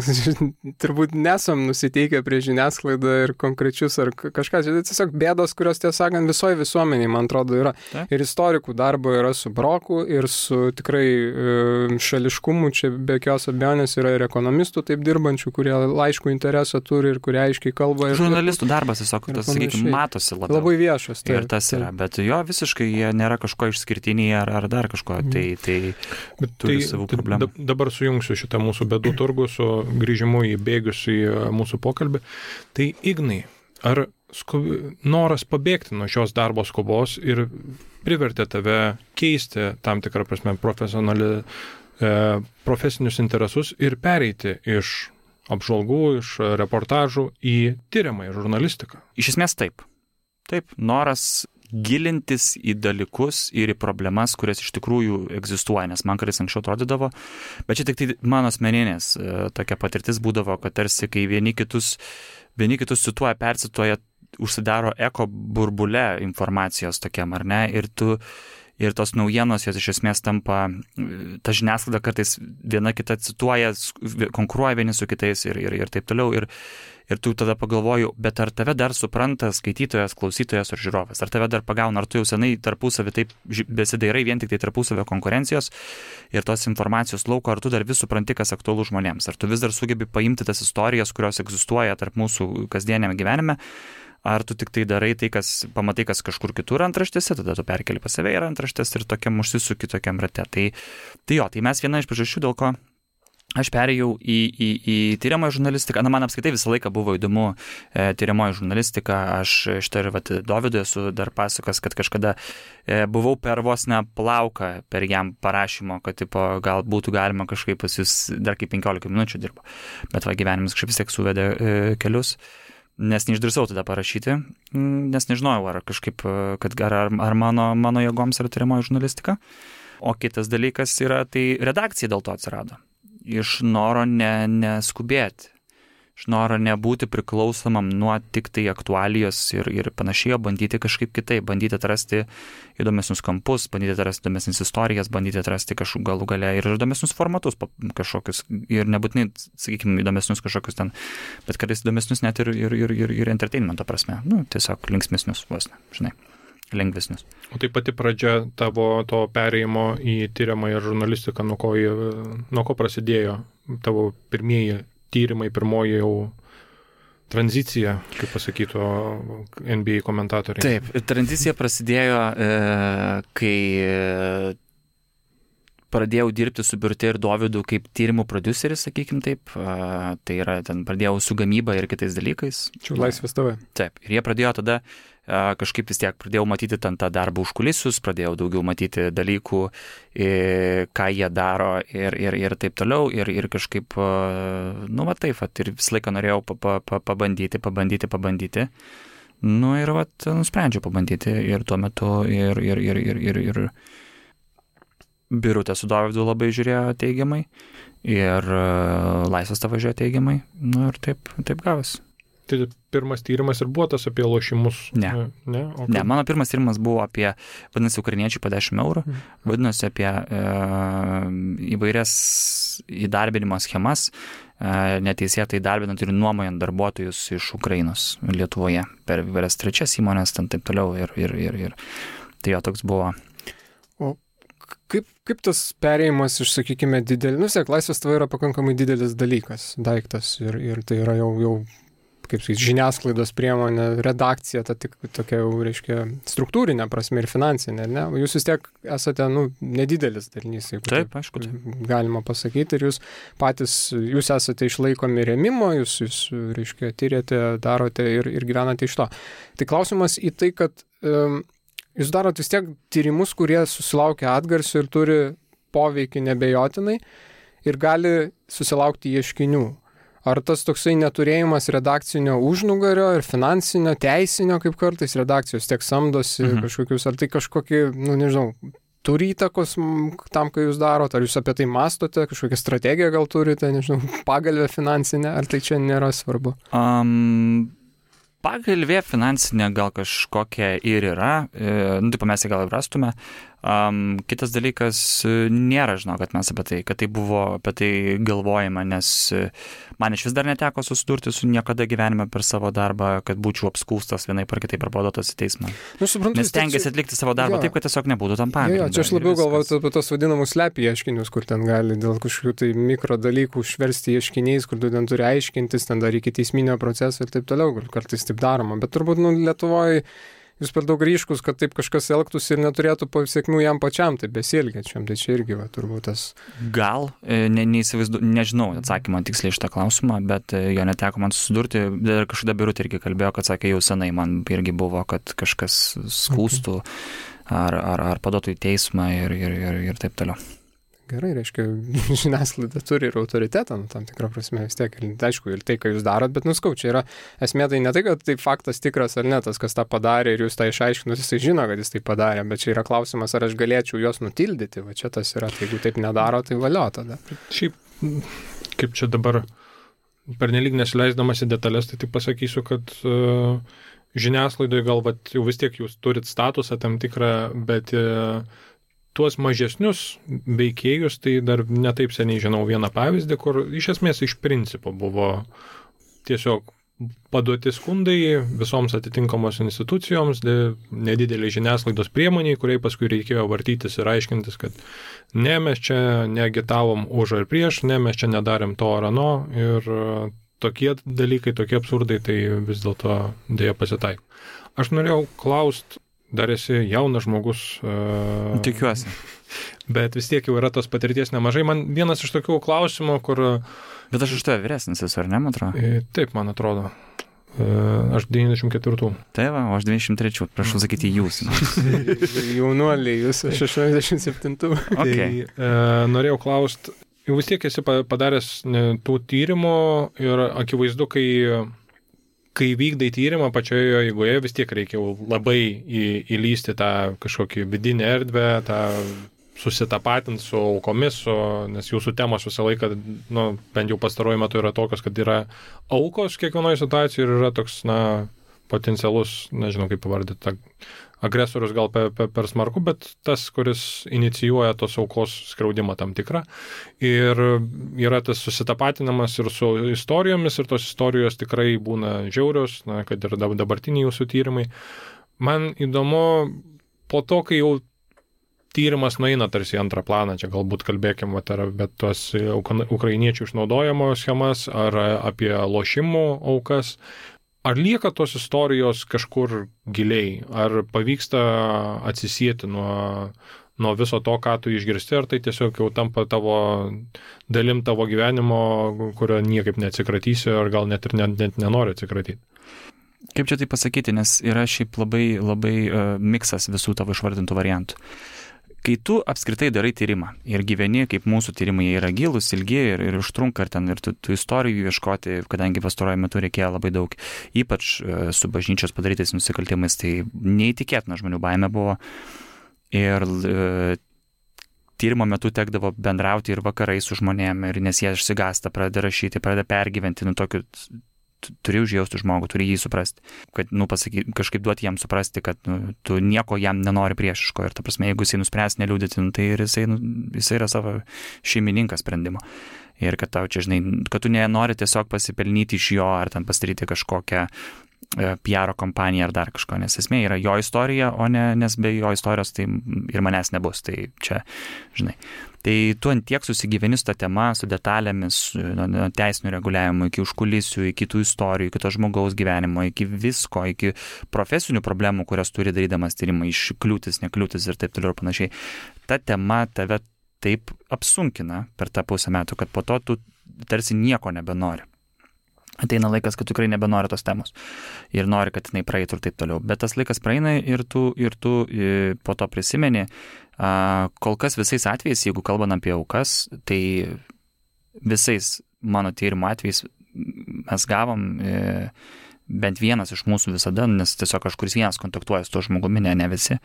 turbūt nesam nusiteikę prie žiniasklaidą ir konkrečius ar kažką. Tai tiesiog bėdos, kurios, tiesą sakant, visoje visuomeniai, man atrodo, yra. Ta. Ir istorikų darbo yra su broku ir su tikrai e, šališkumu, čia be jokios abejonės yra ir ekonomistų taip dirbančių, kurie laiškų interesą turi ir kurie aiškiai kalba. Ir, žurnalistų darbas, tiesiog, tas, sakykime, matosi labiau. Labai viešas. Tai, ir tas yra, tai. Bet jo visiškai jie nėra kažko išskirtiniai ar, ar dar kažko, tai, tai bet turi tai, savų problemų. Dabar sujungsiu šitą mūsų bėdų turgų su grįžimu į bėgius į mūsų pokalbį. Tai Ignai, ar skub... noras pabėgti nuo šios darbo skubos ir privertė tave keisti tam tikrą prasme profesionali, e, profesinius interesus ir pereiti iš apžvalgų, iš reportažų į tyriamąją žurnalistiką? Iš esmės taip. Taip, noras gilintis į dalykus ir į problemas, kurias iš tikrųjų egzistuoja, nes man kartais anksčiau atrodydavo, bet čia tik tai mano asmeninės tokia patirtis būdavo, kad tarsi kai vieni kitus, vieni kitus cituoja, persituoja, užsidaro eko burbule informacijos tokiam, ar ne, ir tu ir tos naujienos, jos iš esmės tampa, ta žiniasklaida kartais viena kita cituoja, konkuruoja vieni su kitais ir, ir, ir taip toliau. Ir, ir tu tada pagalvoju, bet ar tave dar supranta skaitytojas, klausytojas ar žiūrovas? Ar tave dar pagauna, ar tu jau senai tarpusavį taip besidairai vien tik tai tarpusavio konkurencijos ir tos informacijos lauko, ar tu dar vis supranti, kas aktualu žmonėms? Ar tu vis dar sugebi paimti tas istorijas, kurios egzistuoja tarp mūsų kasdieniame gyvenime? Ar tu tik tai darai tai, kas pamatai, kas kažkur kitur antraštėse, tada tu perkeli pas save ir antraštės ir tokiam užsisuki tokiam rate. Tai, tai jo, tai mes viena iš priežasčių, dėl ko aš perėjau į, į, į tyriamąją žurnalistiką. Na, man apskaitai visą laiką buvo įdomu e, tyriamoji žurnalistika. Aš šitą ir vat, Dovydui esu dar pasakas, kad kažkada e, buvau per vos ne plauką per jam parašymo, kad tipo, gal būtų galima kažkaip pas jūs dar kaip penkiolika minučių dirbo. Bet va, gyvenimas kažkaip vis tiek suvedė e, kelius. Nes neišdrįsau tada parašyti, nes nežinojau, ar kažkaip, kad ar, ar mano, mano jėgoms yra tyriamoji žurnalistika. O kitas dalykas yra, tai redakcija dėl to atsirado. Iš noro ne, neskubėti, iš noro nebūti priklausomam nuo tik tai aktualijos ir, ir panašiai, bandyti kažkaip kitaip, bandyti atrasti įdomesnius kampus, bandyti atrasti įdomesnis istorijas, bandyti atrasti kažkokiu galų gale ir įdomesnius formatus kažkokius, ir nebūtinai, sakykime, įdomesnius kažkokius ten, bet kartais įdomesnius net ir, ir, ir, ir, ir entertainmento prasme, nu, tiesiog linksmesnius, vos ne, žinai, lengvesnius. O tai pati pradžia tavo to perėjimo į tyriamąją žurnalistiką, nuo ko, nuo ko prasidėjo tavo pirmieji tyrimai, pirmoji jau tranzicija, kaip pasakytų N B A komentatoriai. Taip, tranzicija prasidėjo, e, kai e, pradėjau dirbti su Birute ir Dovydu kaip tyrimų prodiuseris, sakykim taip. E, tai yra, ten pradėjau su gamyba ir kitais dalykais. Čia Laisvės T V. Taip, ir jie pradėjo tada kažkaip vis tiek pradėjau matyti ten tą darbą užkulisius, pradėjau daugiau matyti dalykų, ką jie daro ir, ir, ir taip toliau. Ir, ir kažkaip, nu va taip, ir visą laiką norėjau pa, pa, pabandyti, pabandyti, pabandyti. Nu ir va, nusprendžiau pabandyti ir tuo metu ir, ir, ir, ir, ir, ir Birutė su Dovydu labai žiūrėjo teigiamai ir Laisvas tavo žiūrėjo teigiamai. Nu ir taip, taip gavosi. Tai pirmas tyrimas ir buvo tas apie lošimus? Ne. Ne, okay. Ne, mano pirmas tyrimas buvo apie, vadinasi, ukrainiečiai po dešimt eurų, mm. vadinasi apie e, įvairias įdarbinimo schemas, e, neteisėtai įdarbinant ir nuomojant darbuotojus iš Ukrainos Lietuvoje per įvairias trečias įmonės, ten taip toliau ir, ir, ir, ir. Tai jo toks buvo. O kaip, kaip tas perėjimas iš, sakykime, didelį, nu, sėk, Laisvas tavo yra pakankamai didelis dalykas, daiktas ir, ir tai yra jau, jau kaip sakyti, žiniasklaidos priemonė, redakcija, ta tik tokia jau, reiškia, struktūrinė prasme ir finansinė, ne? Jūs vis tiek esate, nu, nedidelis dalinys, jeigu taip, aišku, taip. Galima pasakyti, ir jūs patys, jūs esate išlaikomi rėmimo, jūs, jūs reiškia, tyrėte, darote ir, ir gyvenate iš to. Tai klausimas į tai, kad um, jūs darot vis tiek tyrimus, kurie susilaukia atgarsių ir turi poveikį nebejotinai ir gali susilaukti ieškinių. Ar tas toksai neturėjimas redakcinio užnugario ir finansinio, teisinio, kaip kartais redakcijos tiek samdosi mhm. kažkokius, ar tai kažkokį, nu nežinau, turi įtakos tam, ką jūs darot, ar jūs apie tai mastote, kažkokią strategiją gal turite, nežinau, pagalvę finansinę, ar tai čia nėra svarbu? Um, pagalvė finansinė gal kažkokia ir yra, e, nu taip mes ją gal rastume. Um, kitas dalykas, nėra, žinau, kad mes apie tai, kad tai buvo apie tai galvojama, nes man iš vis dar neteko susidurti su niekada gyvenime per savo darbą, kad būčiau apskūstas vienaip ar kitaip ar paduotas į teismą. Nu, suprantu, nes tengiasi atlikti savo darbą jo. Taip, kad tiesiog nebūtų tam pagrindo. Jo, jo, čia aš labiau galvoju apie tos vadinamus slepių ieškinius, kur ten gali dėl kažkokių tai mikro dalykų šversti ieškiniais, kur tu ten turi aiškintis, ten dar iki teisminio proceso ir taip toliau, kartais taip daroma. Bet turbūt, nu, Lietuvoje jūs per daug ryškus, kad taip kažkas elgtųsi ir neturėtų pasiekmių jam pačiam, taip besielgiančiam, tai čia irgi va, turbūt tas. Gal, ne, neįsivaizdu, nežinau atsakymą tiksliai šitą klausimą, bet jo neteko man susidurti, dar kažkada Birutė irgi kalbėjo, kad sakė, jau senai man irgi buvo, kad kažkas skūstų okay. ar, ar, ar paduotų į teismą ir, ir, ir, ir taip toliau. Gerai, reiškia, žiniasklaida turi ir autoritetą, nu, tam tikrą prasme vis tiek, ir, aišku, ir tai, ką jūs darot, bet nuskau, čia yra esmė, tai ne tai, kad tai faktas tikras ar ne, tas, kas tą padarė ir jūs tą išaiškinus, jisai žino, kad jis tai padarė, bet čia yra klausimas, ar aš galėčiau juos nutildyti, va čia tas yra, tai jeigu taip nedaro, tai valio tada. Šiaip, kaip čia dabar, pernelyg nesileisdamas į detalės, tai tik pasakysiu, kad uh, žiniasklaidoje gal vat, jau vis tiek jūs turit statusą tam tikrą, bet uh, tuos mažesnius veikėjus, tai dar netaip seniai žinau vieną pavyzdį, kur iš esmės iš principo buvo tiesiog paduoti skundai visoms atitinkamos institucijoms, nedidelė žiniasklaidos priemoniai, kuriai paskui reikėjo vartytis ir aiškintis, kad ne, mes čia neagitavom už ar prieš, ne, mes čia nedarėm to ar ano ir tokie dalykai, tokie absurdai, tai vis dėlto dėja pasitaiko. Aš norėjau klausti, dar esi jaunas žmogus. Uh, Tikiuosi. Bet vis tiek jau yra tos patirties nemažai. Man vienas iš tokių klausimų, kur... Bet aš iš tave vyresnis esu, ar ne, man atrodo? E, taip, man atrodo. E, aš devyniasdešimt ketvirtų. Tai va, o aš devyniasdešimt trečių. Prašau sakyti jūs. Jaunuoliai, jūs aš aštuoniasdešimt septintų. Okay. Tai e, norėjau klausti, jau vis tiek esi padaręs ne, tų tyrimų ir akivaizdu, kai... kai vykdai tyrimą pačioje eigoje, vis tiek reikia labai į, įlysti tą kažkokį vidinę erdvę, tą susitapatinti su aukomis, su, nes jūsų temos visą laiką, nu, bent jau pastaruoju metu yra tokios, kad yra aukos kiekvienoje situacijoje ir yra toks, na, potencialus, nežinau kaip pavardyti, agresorius gal per, per, per smarku, bet tas, kuris inicijuoja tos aukos skriaudimą tam tikrą. Ir yra tas susitapatinamas ir su istorijomis, ir tos istorijos tikrai būna žiaurios, na, kad ir dabartiniai jūsų tyrimai. Man įdomu, po to, kai jau tyrimas nueina tarsi antrą planą, čia galbūt kalbėkime apie tos ukrainiečių išnaudojimo schemas ar apie lošimų aukas. Ar lieka tos istorijos kažkur giliai? Ar pavyksta atsisieti nuo, nuo viso to, ką tu išgirsti, ar tai tiesiog jau tampa tavo dalim tavo gyvenimo, kurio niekaip neatsikratysi, ar gal net ir net, net nenori atsikratyti? Kaip čia tai pasakyti, nes yra šiaip labai, labai uh, miksas visų tavo išvardintų variantų. Kai tu apskritai darai tyrimą ir gyveni, kaip mūsų tyrimai yra gilus, ilgi ir, ir užtrunka, ir, ten, ir tų, tų istorijų ieškoti, kadangi pastaruoju metu reikėjo labai daug, ypač e, su bažnyčios padarytais nusikaltimais, tai neįtikėtina žmonių baimė buvo. Ir e, tyrimo metu tekdavo bendrauti ir vakarai su žmonėm, ir nes jie išsigąsta, pradeda rašyti, pradeda pergyventi, nu tokiu, turi užjausti žmogų, turi jį suprasti, kad, nu, pasaky, kažkaip duoti jam suprasti, kad, nu, tu nieko jam nenori priešiško, ir ta prasme, jeigu jisai nuspręs neliūdėti, nu, tai ir jisai, nu, jisai yra savo šeimininkas sprendimo. Ir kad tau čia, žinai, kad tu nenori tiesiog pasipelnyti iš jo, ar ten pasidaryti kažkokią P R kompaniją ar dar kažko, nes esmė yra jo istorija, o ne, nes be jo istorijos tai ir manęs nebus, tai čia, žinai. Tai tu ant tiek susigyveni su ta tema, su detalėmis, nuo teisinių reguliavimų, iki užkulisių, iki tų istorijų, iki to žmogaus gyvenimo, iki visko, iki profesinių problemų, kurias turi darydamas tyrimą, iš kliūtis, nekliūtis ir taip toliau ir panašiai. Ta tema tave taip apsunkina per tą pusę metų, kad po to tu tarsi nieko nebenori. Ateina laikas, kad tikrai nebenori tos temos ir nori, kad jinai praeitų ir taip toliau. Bet tas laikas praeina ir tu, ir tu po to prisimeni. Kol kas visais atvejais, jeigu kalbant apie aukas, tai visais mano tyrimo atvejais mes gavom bent vienas iš mūsų visada, nes tiesiog kažkuris vienas kontaktuoja su to žmogumi, ne, ne visi,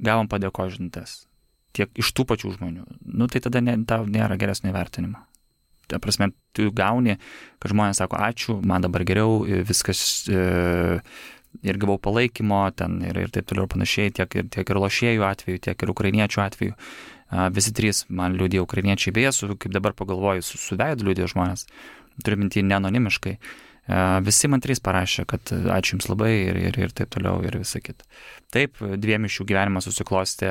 gavom padėko žinutes. Tiek iš tų pačių žmonių. Nu, tai tada ne, tau nėra geresnio įvertinimo. Ta prasme, tu gauni, kad žmonės sako, ačiū, man dabar geriau, viskas e, ir gavau palaikymo ten ir, ir taip toliau panašiai, tiek ir, tiek ir lošėjų atveju, tiek ir ukrainiečių atveju. A, visi trys man liūdėjo ukrainiečiai, beje, su, kaip dabar pagalvoju, su, su veidu liūdėjo žmonės, turiu minti neanonimiškai. A, visi man trys parašė, kad ačiū jums labai ir, ir, ir taip toliau ir visa kita. Taip, dviem iš jų gyvenimas susiklostė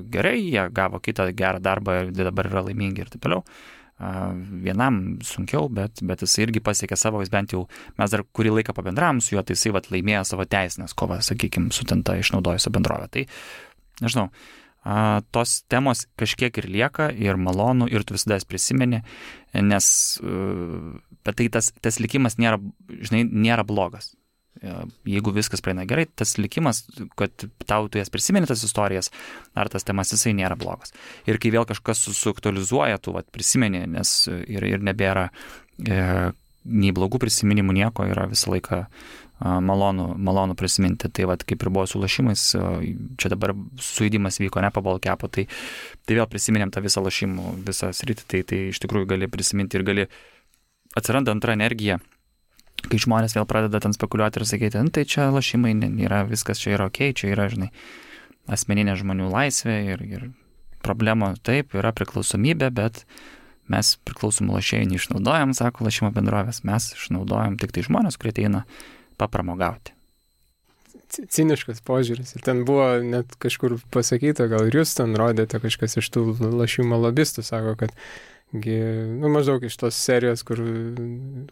gerai, jie gavo kitą gerą darbą ir dabar yra laimingi ir taip toliau. Vienam sunkiau, bet, bet jis irgi pasiekė savo, jis bent jau, mes dar kurį laiką pabendravom su juo, tai jisai vat, laimėjo savo teisinės kovą, sakykime, su ten tą išnaudojusią bendrovę. Tai, nežinau, tos temos kažkiek ir lieka, ir malonu, ir tu visada jas prisimeni, nes, bet tai tas, tas likimas nėra, žinai, nėra blogas. Jeigu viskas praeina gerai, tas likimas, kad tau tu jas prisimeni tas istorijas, ar tas temas, jisai nėra blogas. Ir kai vėl kažkas suaktualizuoja, tu vat, prisimeni, nes ir, ir nebėra e, nei blogų prisiminimų nieko, yra visą laiką e, malonu, malonu prisiminti. Tai vat, kaip ir buvo su lašimais, čia dabar sujudimas vyko ne po balkepo, tai, tai vėl prisiminėm tą visą lašimų, visą sritį, tai, tai iš tikrųjų gali prisiminti ir gali atsiranda antra energija. Kai žmonės vėl pradeda ten spekuliuoti ir sakyti, tai čia lašimai yra, viskas čia yra ok, čia yra, žinai, asmeninė žmonių laisvė ir, ir problema taip, yra priklausomybė, bet mes priklausomų lašėjų neišnaudojam, sako lašimo bendrovės, mes išnaudojam tik tai žmonės, kurie ateina papramogauti. Ciniškas požiūris. Ir ten buvo net kažkur pasakyta, gal ir jūs ten rodėte kažkas iš tų lašimo lobistų, sako, kad nu, maždaug iš tos serijos, kur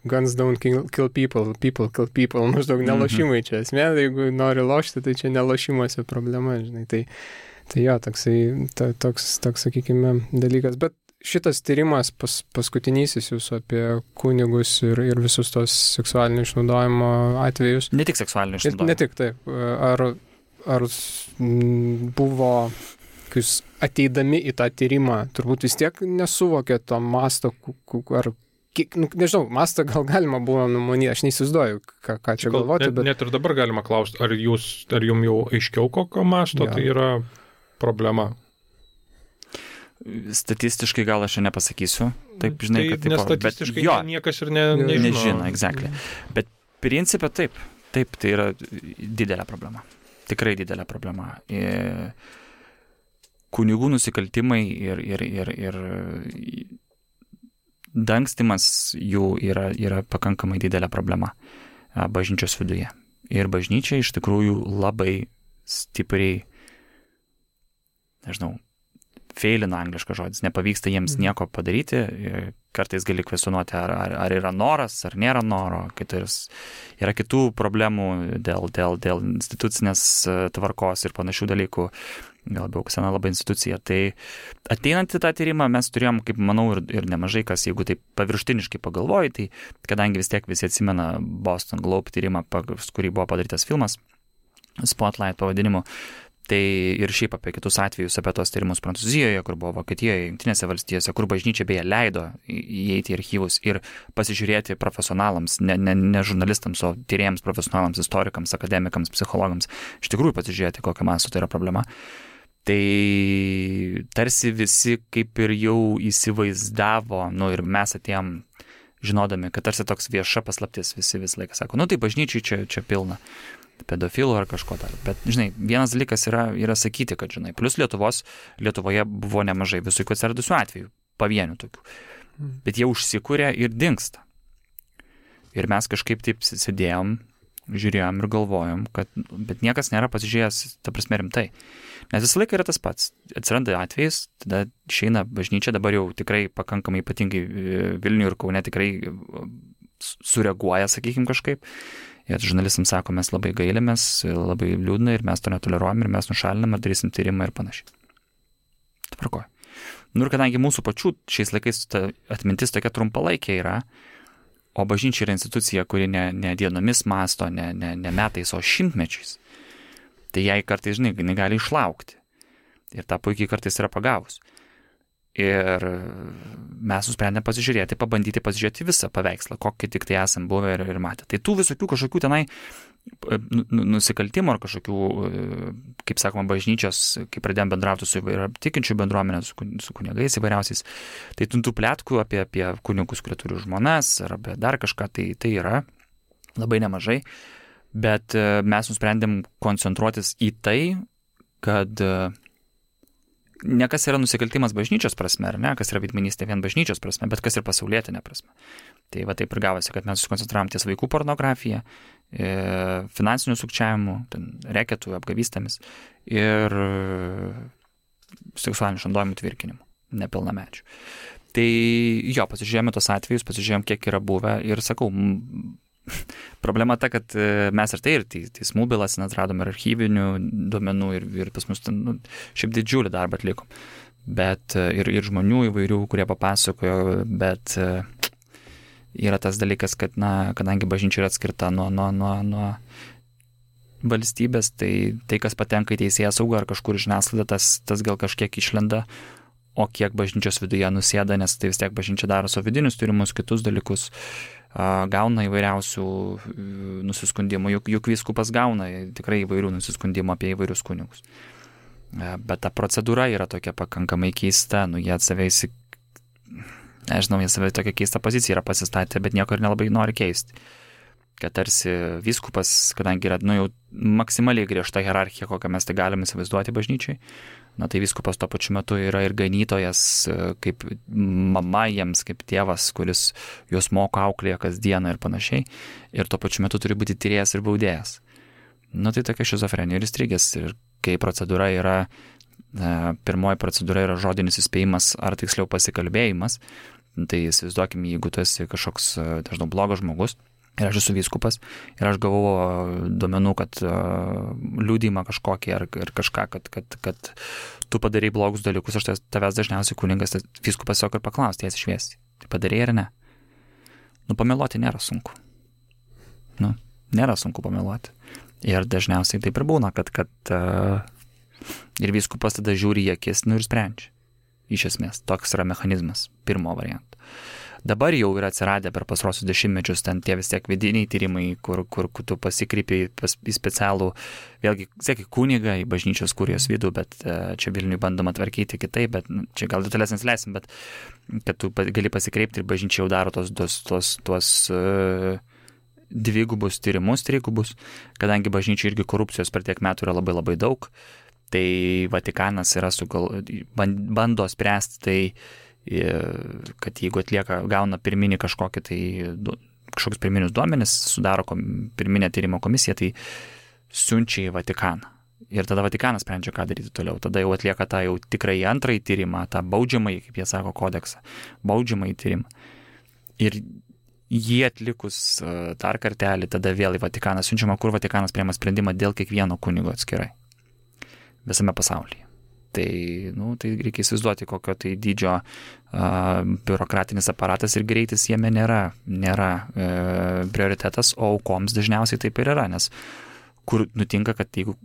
guns don't kill, kill people, people kill people, maždaug nelašimai čia esmė, jeigu nori lošti, tai čia nelašimuose problema, žinai, tai, tai jo, toksai, ta, toks, toks, sakykime, dalykas, bet šitas tyrimas pas, paskutinysis jūsų apie kunigus ir, ir visus tos seksualinio išnaudojimo atvejus. Ne tik seksualinio išnaudojimo. Ne tik, taip. Ar, ar buvo kai jūs ateidami į tą tyrimą, turbūt vis tiek nesuvokė to masto, ar, nu, nežinau, mastą gal galima buvo numanyti, aš neįsivaizduoju, ką, ką čia gal, galvoti, net, bet... Net ir dabar galima klausti, ar jūs, ar jums jau aiškiau kokio masto, ja. Tai yra problema? Statistiškai gal aš nepasakysiu, taip, žinai, tai, kad taip, nes statistiškai bet, jo, niekas ir ne, nežino. Nežino, exactly. Bet principė taip, taip, tai yra didelė problema, tikrai didelė problema. Ir kunigų nusikaltimai ir, ir, ir, ir dangstymas jų yra, yra pakankamai didelė problema bažnyčios viduje. Ir bažnyčia iš tikrųjų labai stipriai, nežinau, feilina angliškas žodis, nepavyksta jiems nieko padaryti, kartais gali kvestionuoti, ar, ar, ar yra noras, ar nėra noro, kitais, yra kitų problemų dėl, dėl, dėl institucinės tvarkos ir panašių dalykų, gal labiau sena labai institucija. Tai ateinant į tą tyrimą mes turėjom, kaip manau, ir, ir nemažai kas, jeigu taip paviršutiniškai pagalvoji, tai kadangi vis tiek visi atsimena Boston Globe tyrimą, kurį buvo padarytas filmas, Spotlight pavadinimu, tai ir šiaip apie kitus atvejus, apie tos tyrimus Prancūzijoje, kur buvo Vokietijoje, Jungtinėse valstijose, kur bažnyčia beje leido įeiti į archyvus ir pasižiūrėti profesionalams, ne, ne, ne žurnalistams, o tyrėjams, profesionalams, istorikams, akademikams, psichologams, iš tikrųjų pasižiūrėti, kokią mastų tai yra problema. Tai tarsi visi kaip ir jau įsivaizdavo, nu ir mes atėjom žinodami, kad tarsi toks vieša paslaptis, visi visą laiką sako, nu tai bažnyčiai čia, čia pilna pedofilų ar kažko dar. Bet, žinai, vienas dalykas yra, yra sakyti, kad, žinai, plus Lietuvos, Lietuvoje buvo nemažai visokių atsiradusių atvejų, pavienių tokių. Bet jie užsikūrė ir dingsta. Ir mes kažkaip taip sėdėjom, žiūrėjom ir galvojom, kad, bet niekas nėra pasižiūrėjęs, ta prasme, rimtai. Nes visą laiką yra tas pats. Atsiranda atvejais, tada išeina bažnyčia, dabar jau tikrai pakankamai ypatingai Vilniuje ir Kaune tikrai sureaguoja, sakykim, kažkaip. Ir žurnalistams sako, mes labai gailimės, labai liūdna ir mes to netoleruojam ir mes nušalinam ir darysim tyrimą ir panašiai. Tvarkoju. Nu ir kadangi mūsų pačių šiais laikais ta atmintis tokia trumpalaikė yra, o bažnyčia yra institucija, kuri ne, ne dienomis masto, ne, ne, ne metais, o šimtmečiais, tai jai kartais, žinai, negali išlaukti. Ir tą puikiai kartais yra pagavus. Ir mes nusprendėme pasižiūrėti, pabandyti pasižiūrėti visą paveikslą, kokį tik tai esam buvę ir, ir matę. Tai tų visokių kažkokių tenai nusikaltimų ar kažkokių, kaip sakoma, bažnyčios, kai pradėjom bendrauti su įvairia tikinčių bendruomenė, su, su kunigais įvairiausiais, tai tų plėtkų apie, apie kunigus, kurie turi žmonas ar apie dar kažką, tai, tai yra labai nemažai. Bet mes nusprendėm koncentruotis į tai, kad ne kas yra nusikaltimas bažnyčios prasme, ar ne, kas yra veidmainystė vien bažnyčios prasme, bet kas ir pasaulietinė prasme. Tai va taip ir gavosi, kad mes susikoncentravom ties vaikų pornografiją, finansinių sukčiavimų, reketų, apgavystėmis ir seksualinių išnaudojimų tvirkinimu, nepilnamečių. Tai jo, pasižiūrėjome tos atvejus, pasižiūrėjome, kiek yra buvę ir sakau, problema ta, kad mes ir tai ir teismų bylas atradom ir archyvinių duomenų ir, ir pas mus nu, šiaip didžiulį darbą atlikom. Bet ir, ir žmonių įvairių, kurie papasakojo, bet yra tas dalykas, kad, na, kadangi bažnyčia yra atskirta nuo, nuo, nuo, nuo valstybės, tai tai, kas patenka į teisėsaugą ar kažkur žiniasklaidą, tas, tas gal kažkiek išlenda, o kiek bažnyčios viduje nusėda, nes tai vis tiek bažnyčia daro savo vidinius tyrimus, kitus dalykus, gauna įvairiausių nusiskundimų, juk, juk vyskupas gauna tikrai įvairių nusiskundimų apie įvairius kunigus. Bet ta procedūra yra tokia pakankamai keista, nu jie atsavę įsik... Nežinau, jie savai tokia keista pozicija yra pasistatę, bet nieko ir nelabai nori keisti. Kad tarsi vyskupas, kadangi yra, nu jau maksimaliai griežta hierarchija, kokią mes tai galime įsivaizduoti bažnyčiai, na tai vyskupas tuo pačiu metu yra ir ganytojas, kaip mama jiems, kaip tėvas, kuris juos moko, auklėja kasdieną ir panašiai, ir tuo pačiu metu turi būti tyrėjas ir baudėjas. Na tai tokia šizofrenija ir įstrigęs, ir kai procedūra yra, pirmoji procedūra yra žodinis įspėjimas, ar tiksliau pasikalbėjimas, tai įsivaizduokime, jeigu tu esi kažkoks, dažnai blogas žmogus, ir aš esu vyskupas, ir aš gavau duomenų, kad uh, liudijimą kažkokį ar, ar kažką, kad, kad, kad tu padarai blogus dalykus, aš tavęs dažniausiai kuningas, tai vyskupas tiesiog ir paklausti, jas išviesti. Tai padarai ar ne? Nu, pameluoti nėra sunku. Nu, nėra sunku pameluoti. Ir dažniausiai taip ir būna, kad, kad uh, ir vyskupas tada žiūri į akis, nu ir sprendžia. Iš esmės, toks yra mechanizmas pirmo varianto. Dabar jau yra atsiradę per pastarosius dešimtmečius ten tie vis tiek vidiniai tyrimai, kur, kur tu pasikreipi pas, į specialų, vėlgi, sėki, kunigą, į bažnyčios kurijos vidų, bet čia Vilniui bandoma tvarkyti kitaip, bet čia gal detalės nesileisim, bet kad tu gali pasikreipti ir bažnyčia jau daro tos, tos, tos, tos uh, dvigubus tyrimus, trigubus, kadangi bažnyčia irgi korupcijos per tiek metų yra labai labai daug, tai Vatikanas yra sugal, bando spręsti tai, kad jeigu atlieka, gauna pirminį kažkokį tai, kažkokius pirminius duomenis, sudaro kom, pirminę tyrimo komisiją, tai siunčia į Vatikaną. Ir tada Vatikanas sprendžia, ką daryti toliau. Tada jau atlieka tą jau tikrai antrąjį tyrimą, tą baudžiamąjį, kaip jie sako, kodeksą, baudžiamąjį tyrimą. Ir jį atlikus dar kartelį, tada vėl į Vatikaną siunčiama, kur Vatikanas priima sprendimą dėl kiekvieno kunigo atskirai. Visame pasaulyje. Tai, nu, tai reikia įsivaizduoti, kokio tai dydžio uh, biurokratinis aparatas ir greitis jame nėra, nėra e, prioritetas, o aukoms dažniausiai taip ir yra, nes kur nutinka, kad jeigu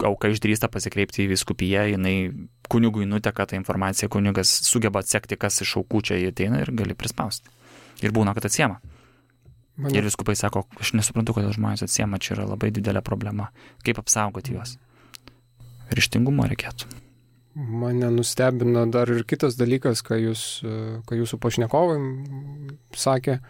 auka išdrįsta pasikreipti į vyskupiją, jinai kunigui nuteka tą informaciją, kunigas sugeba atsekti, kas iš aukų čia ateina ir gali prispausti. Ir būna, kad atsiema. Man... Ir vyskupai sako, aš nesuprantu, kodėl žmonės atsiema, čia yra labai didelė problema. Kaip apsaugoti juos? Ryžtingumo reikėtų. mane nustebino dar ir kitas dalykas, ką, jūs, ką jūsų pašnekovai sakė,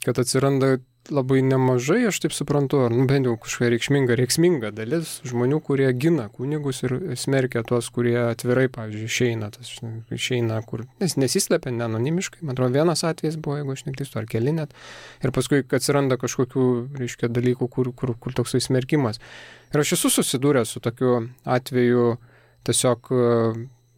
kad atsiranda labai nemažai, aš taip suprantu, ar nu, bent jau kažkokia reikšminga, reikšminga dalis žmonių, kurie gina kunigus ir smerkia tuos, kurie atvirai, pavyzdžiui, išeina, tas, išeina kur, nes nesislepia neanonimiškai, man atrodo, vienas atvejis buvo, jeigu aš neklystu, ar keli net, ir paskui atsiranda kažkokių, reiškia, dalykų, kur, kur, kur toksai smerkimas. Ir aš esu susidūręs su tokiu atveju tiesiog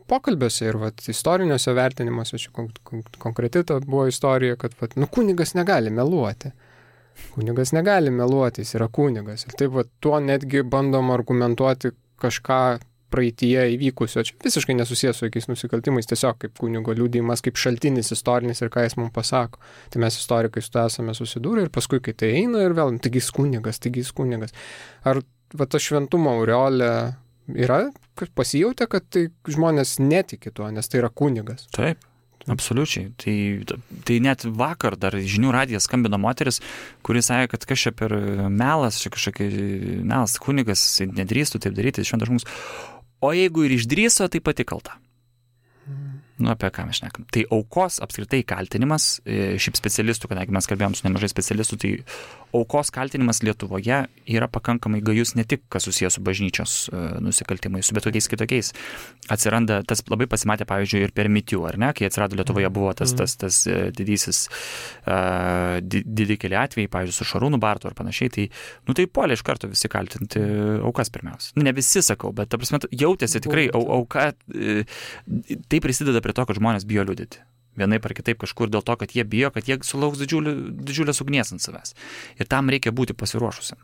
pokalbiuose ir vat, istoriniuose vertinimuose, čia kon- kon- konkreti ta buvo istorija, kad vat, nu, kunigas negali meluoti. Kunigas negali meluoti, jis yra kunigas. Ir taip, va, tuo netgi bandom argumentuoti kažką praeityje įvykusio. Čia visiškai nesusijęs su jokiais nusikaltimais, tiesiog kaip kunigo liudijimas, kaip šaltinis istorinis ir ką jis mums pasako. Tai mes istorikai su to esame susidūrę ir paskui, kai tai eina ir vėl, taigi jis kunigas, taigi jis kunigas. Ar va, ta šventumo aureolė yra, kad pasijautė, kad tai žmonės netiki tuo, nes tai yra kunigas? Taip. Absoliučiai. Tai, tai net vakar dar žinių radijas skambino moteris, kuris sakė, kad kas čia per melas, čia kažkokia melas, kunigas, nedrįstų taip daryti, šventas žmogus. O jeigu ir išdrįso, tai pati kalta. Nu, apie ką mes šnekam. Tai aukos apskritai kaltinimas, šiaip specialistų, kadangi mes kalbėjom su nemažai specialistų, tai aukos kaltinimas Lietuvoje yra pakankamai gajus ne tik, kas susijęs su bažnyčios nusikaltimais, su bet kokiais kitokiais. Atsiranda, tas labai pasimatė, pavyzdžiui, ir per MeToo, ar ne, kai atsirado Lietuvoje buvo tas, tas, tas didysis uh, didikėlė atvejai, pavyzdžiui, su Šarūnu Bartu ar panašiai, tai, nu, tai puolė iš karto visi kaltinti aukas pirmiausia. Ne visi sakau, bet, ta prasme, jautėsi tikrai au, auka, tai prisideda prie to, kad žmonės bijo liudyti. Vienaip ar kitaip kažkur dėl to, kad jie bijo, kad jie sulauks didžiulį, didžiulės ugnies ant savęs. Ir tam reikia būti pasiruošusiam.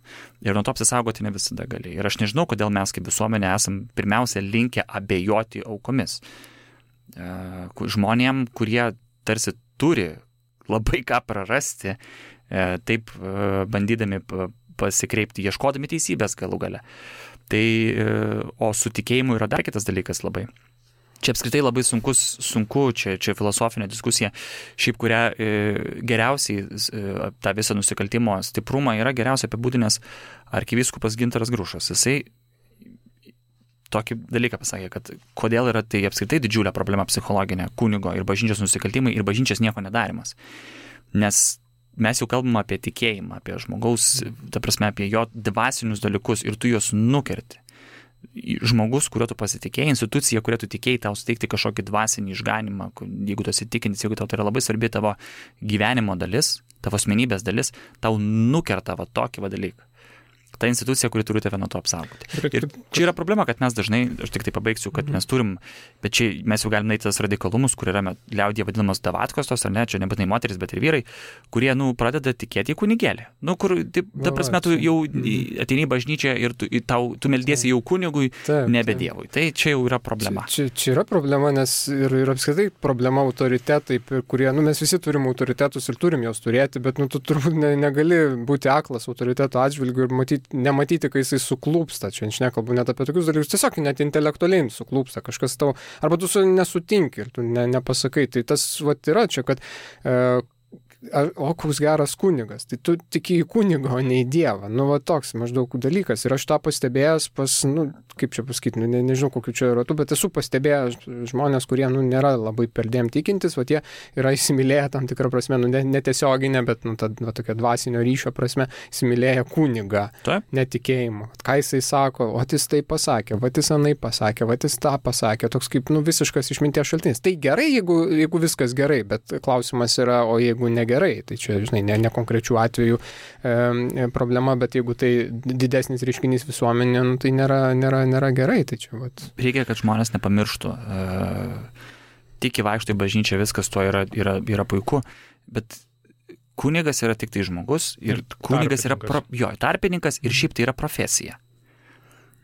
Ir nuo to apsisaugoti ne visada gali. Ir aš nežinau, kodėl mes kaip visuomenė esam pirmiausia linkę abejoti aukomis. Žmonėm, kurie tarsi turi labai ką prarasti, taip bandydami pasikreipti, ieškodami teisybės galų gale. Tai, o su tikėjimu yra dar kitas dalykas labai. Čia apskritai labai sunkus, sunku, čia, čia filosofinė diskusija, šiaip kurią e, geriausiai e, tą visą nusikaltimo stiprumą yra geriausiai apibūdinęs arkivyskupas Gintaras Grušas. Jisai tokį dalyką pasakė, kad kodėl yra tai apskritai didžiulė problema psichologinė kunigo ir bažnyčios nusikaltimai ir bažnyčios nieko nedarimas. Nes mes jau kalbame apie tikėjimą, apie žmogaus, ta prasme, apie jo dvasinius dalykus ir tu juos nukerti. Žmogus, kuriuo tu pasitikėjai, institucija, kuriuo tu tikėjai, tau suteikti kažkokį dvasinį išganimą, jeigu tu esi tikintis, jeigu tau tai yra labai svarbi tavo gyvenimo dalis, tavo asmenybės dalis, tau nukerta va tokį va dalyką. Ta institucija, kuri turi tave nuo to apsaugoti. Ir čia yra problema, kad mes dažnai, aš tik tai pabaigsiu, kad mes turim, bet čia mes jau galime naiti tas radikalumus, kur yra liaudyje vadinamos davatkos tos, ar ne, čia nebūtinai moteris, bet ir vyrai, kurie, nu, pradeda tikėti į kunigėlį. Nu, kur, taip, ta prasme, tu jau ateini į bažnyčią ir tu, tau, tu meldiesi jau kunigui, nebe Dievui. Tai čia jau yra problema. Čia, čia, čia yra problema, nes ir, ir apskritai problema autoritetai, kurie, nu, mes visi turim autoritetus ir turim juos turėti, bet, nu, tu turbūt ne, negali būti aklas autoriteto atžvilgiu ir matyti nematyti, kai jisai suklūpsta, čia aš nekalbu net apie tokius dalykus, tiesiog net intelektualiai suklūpsta, kažkas tau, arba tu su nesutinki ir tu ne, nepasakai, tai tas vat yra čia, kad e, o koks geras kunigas, tai tu tiki į kunigą, o ne į Dievą, nu va toks maždaug dalykas ir aš tą pastebėjęs pas, nu, kaip čia pasakyti, nu, ne, nežinau kokiu čia ratu, bet esu pastebėjęs žmonės, kurie, nu, nėra labai perdėm tikintis, va tie yra įsimylėję tam tikrą prasme, nu, netiesioginę, bet, nu, ta, va, tokia dvasinio ryšio prasme, įsimylėję kunigą, netikėjimo. Ką jisai sako, o jis tai pasakė, va jis anai pasakė, va jis tą pasakė, toks kaip, nu, visiškas išminties šaltinis. Tai gerai, jeigu, jeigu viskas gerai, bet klausimas yra, o jeigu negerai, tai čia, žinai, ne, ne konkrečių atvejų e, problema, bet jeigu tai didesnis reiškinys visuomenė, nu, tai nėra, nėra nėra gerai, tai čia vat. Reikia, kad žmonės nepamirštų. Tik įvaikštų į bažnyčią, viskas to yra, yra, yra puiku, bet kunigas yra tik tai žmogus ir kunigas yra pro, jo, tarpininkas ir šiaip tai yra profesija.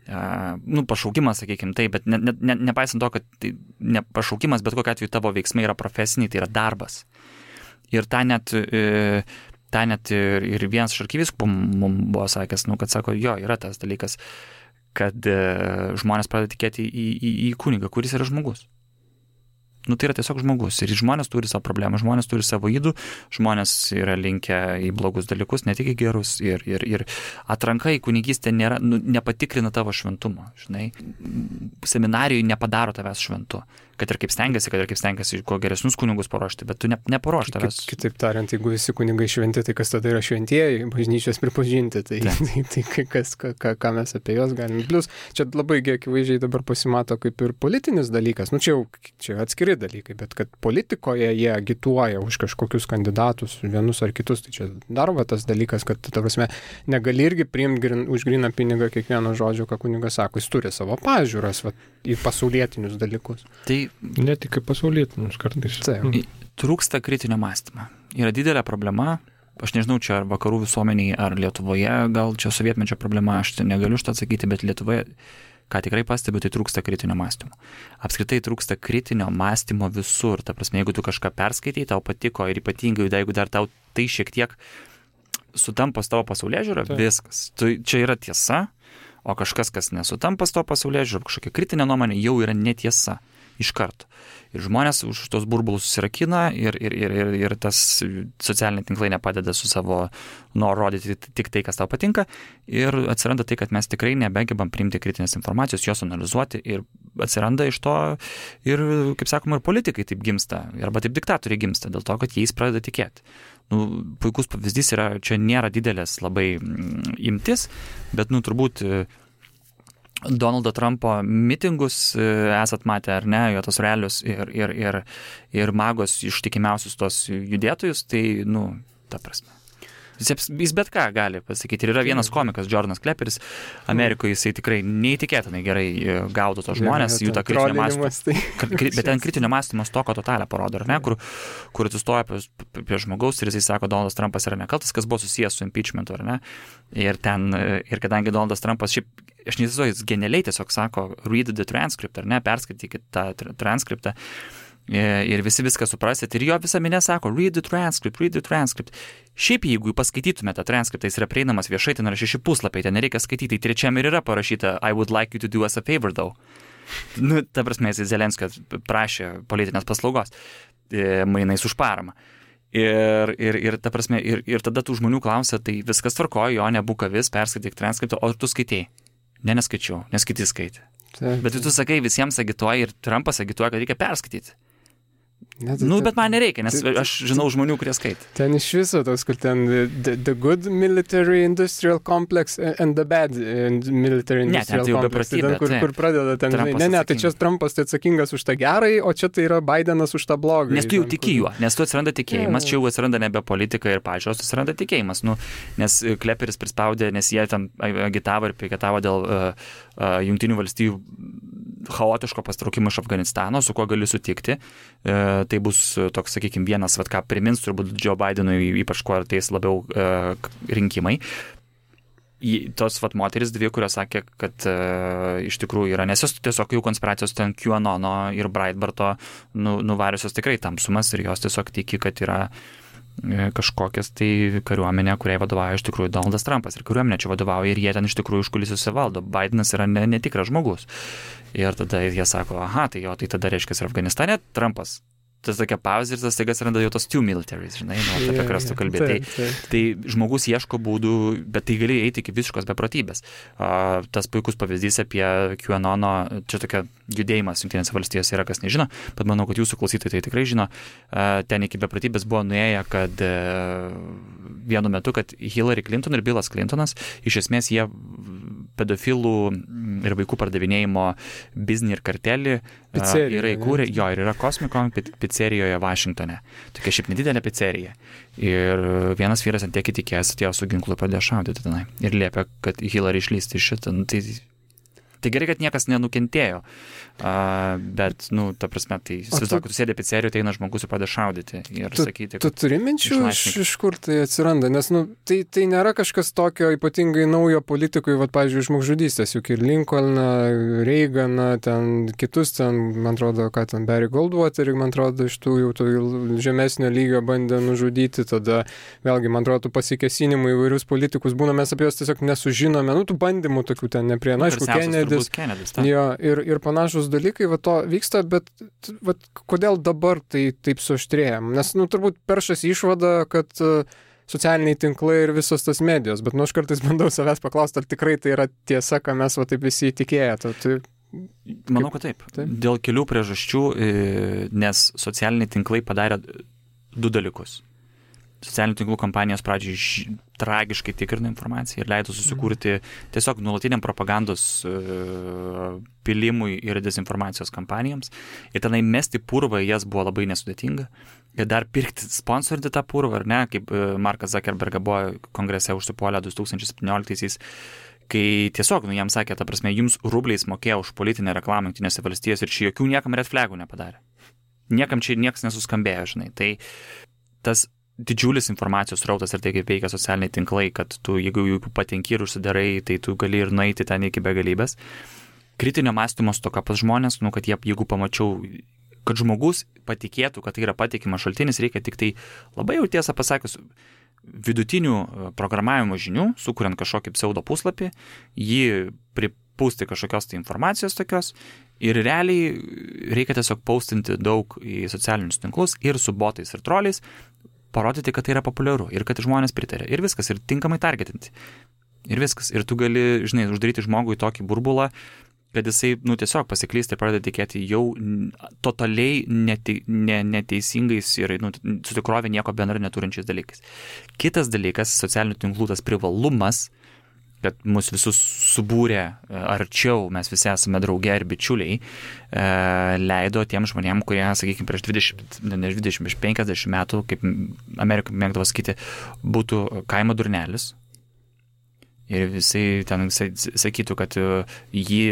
Uh, nu, pašaukimas, sakykime, tai, bet ne, ne, nepaisant to, kad tai ne pašaukimas, bet kokiu atveju tavo veiksmai yra profesiniai, tai yra darbas. Ir tą net, e, tą net ir, ir vienas iš arkivyskupų mums buvo sakęs, nu, kad sako, jo, yra tas dalykas, kad e, žmonės pradeda tikėti į, į, į kunigą, kuris yra žmogus. Nu, tai yra tiesiog žmogus. Ir žmonės turi savo problemą, žmonės turi savo ydų, žmonės yra linkę į blogus dalykus, ne tik į gerus. Ir, ir, ir atranka į kunigystę nėra, nu, nepatikrina tavo šventumo. Žinai, seminarijai nepadaro tavęs šventu. Kad ir kaip stengiasi, kad ir kaip stengiasi kuo geresnius kunigus paruošti, bet tu ne, neparuoš tavęs. Kitaip tariant, jeigu visi kunigai šventi, tai kas tada yra šventieji, bažnyčios pripažinti, tai, tai, tai, tai kas, ką, ką mes apie juos galime. Plius, čia labai akivaizdžiai dabar pasimato kaip ir politinis dalykas, nu čia jau čia atskiri dalykai, bet kad politikoje jie agituoja už kažkokius kandidatus, vienus ar kitus, tai čia dar va tas dalykas, kad, ta prasme, negali irgi priimti grin, už gryną pinigą kiekvieno žodžio, ką kunigas sako, jis turi savo pažiūras va, į pasaulietinius dalykus. Tai ne tik kaip pasaulietinius kartais. Tai, trūksta kritinio mąstymo. Yra didelė problema, aš nežinau, čia ar vakarų visuomeniai, ar Lietuvoje, gal čia sovietmečio problema, aš negaliu šitą atsakyti, bet Lietuvoje, ką tikrai pastebiu, tai trūksta kritinio mąstymo. Apskritai trūksta kritinio mąstymo visur. Ta prasme, jeigu tu kažką perskaitai, tau patiko ir ypatingai, jeigu dar tau tai šiek tiek sutampa su tavo pasaulėžiūra, viskas. Tu, čia yra tiesa, o kažkas, kas nesutampa su tavo pasaulėžiūra, kažkokia kritinė nuomonė, jau yra netiesa. Iš karto. Ir žmonės už tos burbulus susirakina ir, ir, ir, ir, ir tas socialiniai tinklai nepadeda su savo noru rodyti tik tai, kas tau patinka. Ir atsiranda tai, kad mes tikrai nebegebam priimti kritinės informacijos, jos analizuoti ir atsiranda iš to ir, kaip sakoma, ir politikai taip gimsta, arba taip diktatoriai gimsta, dėl to, kad jais pradeda tikėti. Nu, puikus pavyzdys yra, čia nėra didelės labai imtis, bet, nu, turbūt Donaldo Trumpo mitingus esat matę ar ne, jo tos realius ir, ir, ir, ir magos ištikimiausius tos judėtojus, tai, nu, ta prasme. Jis, jis bet ką gali pasakyti. Ir yra vienas komikas, Jordanas Kleperis, Amerikoje jisai tikrai neįtikėtinai gerai gaudo tos žmonės, jų tą kritinio mąstymo. Bet ten kritinio mąstymo stoko totalę parodo, ar ne, kur, kur atsistoja prie, prie žmogaus ir jisai sako, Donaldas Trumpas yra nekaltas, kas buvo susijęs su impeachmentu, ar ne. Ir ten, ir kadangi Donaldas Trumpas šiaip, aš neįsivaizduoju, jis genialiai tiesiog sako, read the transcript, ar ne, perskaitykit tą transkriptą. Ir visi viską suprasit. Ir jo visa minė sako, read the transcript, read the transcript. Šiaip jeigu paskaitytumėte tą transkriptą, jis yra prieinamas viešai, ten yra šeši puslapiai, ten nereikia skaityti. Trečiam ir yra parašyta, I would like you to do us a favor though. Nu, ta prasme, jis Zelenskio prašė politinės paslaugos, mainais už paramą. Ir, ir, ir, ta prasme, ir, ir tada tų žmonių klausia, tai viskas tvarkojo, jo, nebūk avis, perskaityk transkriptą, o tu skaitėjai. Ne, neskaičiau, nes kiti skaitė. Bet tu sakai, visiems agituoji ir Trumpas agituoja, kad reikia perskaityti. Ne, tai, nu, bet man nereikia, nes tai, aš žinau žmonių, kurie skaitė. Ten iš viso tos, kur ten the, the good military industrial complex and the bad military industrial ne, complex. Tai ten, kur, kur pradeda ten, žinai, ne, ne, tai čia Trumpas tai atsakingas už tą gerai, o čia tai yra Bidenas už tą blogą. Nes tu jau tiki juo, nes tu atsiranda tikėjimas, čia jau atsiranda nebe politika ir pažiūros, atsiranda tikėjimas. Nu, nes Kleperis prispaudė, nes jie ten agitavo ir piketavo dėl uh, uh, Jungtinių valstijų chaotiško pastraukimo iš Afganistano, su kuo gali sutikti. E, tai bus toks, sakykime, vienas, vat, ką primins turbūt Joe Bidenui, ypač kuo artės labiau e, rinkimai. Į, tos vat, moteris dvi, kurios sakė, kad e, iš tikrųjų yra, nes jos tiesiog jau konspiracijos ten QAnono ir Breitbarto nu, nuvariusios tikrai tamsumas ir jos tiesiog tiki, kad yra kažkokias tai kariuomenė, kuriai vadovauja iš tikrųjų Donaldas Trumpas ir kariuomenė čia vadovauja ir jie ten iš tikrųjų užkulisiuose valdo. Bidenas yra ne, netikras žmogus. Ir tada jie sako, aha, tai jo, tai tada reiškia ir Afganistane Trumpas. Tas tokia pauzė ir tas staiga atsiranda jau tos two militaries, žinai, nu, apie yeah, kurias tu kalbė. Tai, tai, tai žmogus ieško būdų, bet tai gali eiti iki visiškos beprotybės. Uh, tas puikus pavyzdys apie QAnono, čia tokia judėjimas Jungtinėse valstijose yra, kas nežino, bet manau, kad jūsų klausytojai tai tikrai žino. Uh, ten iki beprotybės buvo nuėję, kad uh, vienu metu, kad Hillary Clinton ir Billas Clintonas, iš esmės jie pedofilų ir vaikų pardavinėjimo biznį ir kartelį uh, yra įkūrę, jo, ir yra Cosmicon pizzerijoje Vašingtone. Tokia šiaip nedidelė pizzerija. Ir vienas vyras ant tiek įtikėjęs atėjo su ginklu pradėjo šaudyti tenai. Ir liepė, kad Hillary išlysti iš šitą. Nu, tai, tai gerai, kad niekas nenukentėjo. Uh, bet, nu, ta prasme, tai įsivaizduoju, kad tu sėdė pizzerijoje, tai eina žmogus ir pradėjo šaudyti. Ir tu, sakyti, tu turi minčių, iš, iš kur tai atsiranda? Nes, nu, tai, tai nėra kažkas tokio ypatingai naujo politikui, vat, pavyzdžiui, žmogžudystės, juk ir Lincolną, Reaganą, ten kitus, ten, man atrodo, ką ten, Barry Goldwaterį, man atrodo, iš tų jau tų žemesnio lygio bandė nužudyti, tada, vėlgi, man atrodo, pasikesinimų įvairius politikus būna, mes apie juos tiesiog nesužinome, nu, tų bandymų tokių ten neprie, na, aišku, Kennedy Kennedys. Kennedys ta. Jo, ir, ir panašus dalykai va to vyksta, bet va, kodėl dabar tai taip suaštrėjam? Nes, nu, turbūt peršas išvada, kad uh, socialiniai tinklai ir visos tas medijos, bet, nu, aš kartais bandau savęs paklausti, ar tikrai tai yra tiesa, ką mes va taip visi įtikėję. Tai, Manau, kad taip. taip. Dėl kelių priežasčių, nes socialiniai tinklai padarė du dalykus. Socialinių tinklų kompanijos pradžiai ž... tragiškai tikrina informaciją ir leido susikurti tiesiog nuolatiniam propagandos uh, pilimui ir dezinformacijos kampanijoms. Ir tenai mesti purvą į jas buvo labai nesudėtinga. Ir dar pirkti, sponsorinti tą purvą, ar ne, kaip Markas Zuckerbergas buvo kongrese užsipuolę du tūkstančiai septynioliktaisiais, kai tiesiog, nu, jam sakė, ta prasme, jums rubliais mokėjo už politinę reklamą Jungtinėse valstijose ir čia jokių niekam red flagų nepadarė. Niekam čia niekas nesuskambėjo, žinai. Tai tas didžiulis informacijos srautas ir tai, kaip veikia socialiniai tinklai, kad tu, jeigu jų patenki ir užsidarai, tai tu gali ir nueiti ten iki begalybės. Kritinio mąstymo stoka pas žmonės, nu, kad jie, jeigu pamačiau, kad žmogus patikėtų, kad tai yra patikimas šaltinis, reikia tik tai labai jau tiesą pasakius, vidutinių programavimo žinių, sukuriant kažkokį pseudo puslapį, jį pripūsti kažkokios tai informacijos tokios ir realiai reikia tiesiog paustinti daug į socialinius tinklus ir su botais ir troliais, parodyti, kad tai yra populiaru ir kad žmonės pritarė. Ir viskas, ir tinkamai targetinti. Ir viskas. Ir tu gali, žinai, uždaryti žmogui tokį burbulą, kad jisai, nu, tiesiog pasiklysti ir pradeda tikėti jau totaliai nete, ne, neteisingais ir, nu, su tikrovė nieko bendra neturinčiais dalykais. Kitas dalykas, socialinių tinklų tas privalumas, kad mus visus subūrė arčiau, mes visi esame drauge ir bičiuliai, e, leido tiem žmonėm, kurie, sakykime, prieš dvidešimt, ne dvidešimt, prieš penkiasdešimt metų, kaip Amerikai mėgdavo sakyti, būtų kaimo durnelis. Ir visai ten visai sakytų, kad jį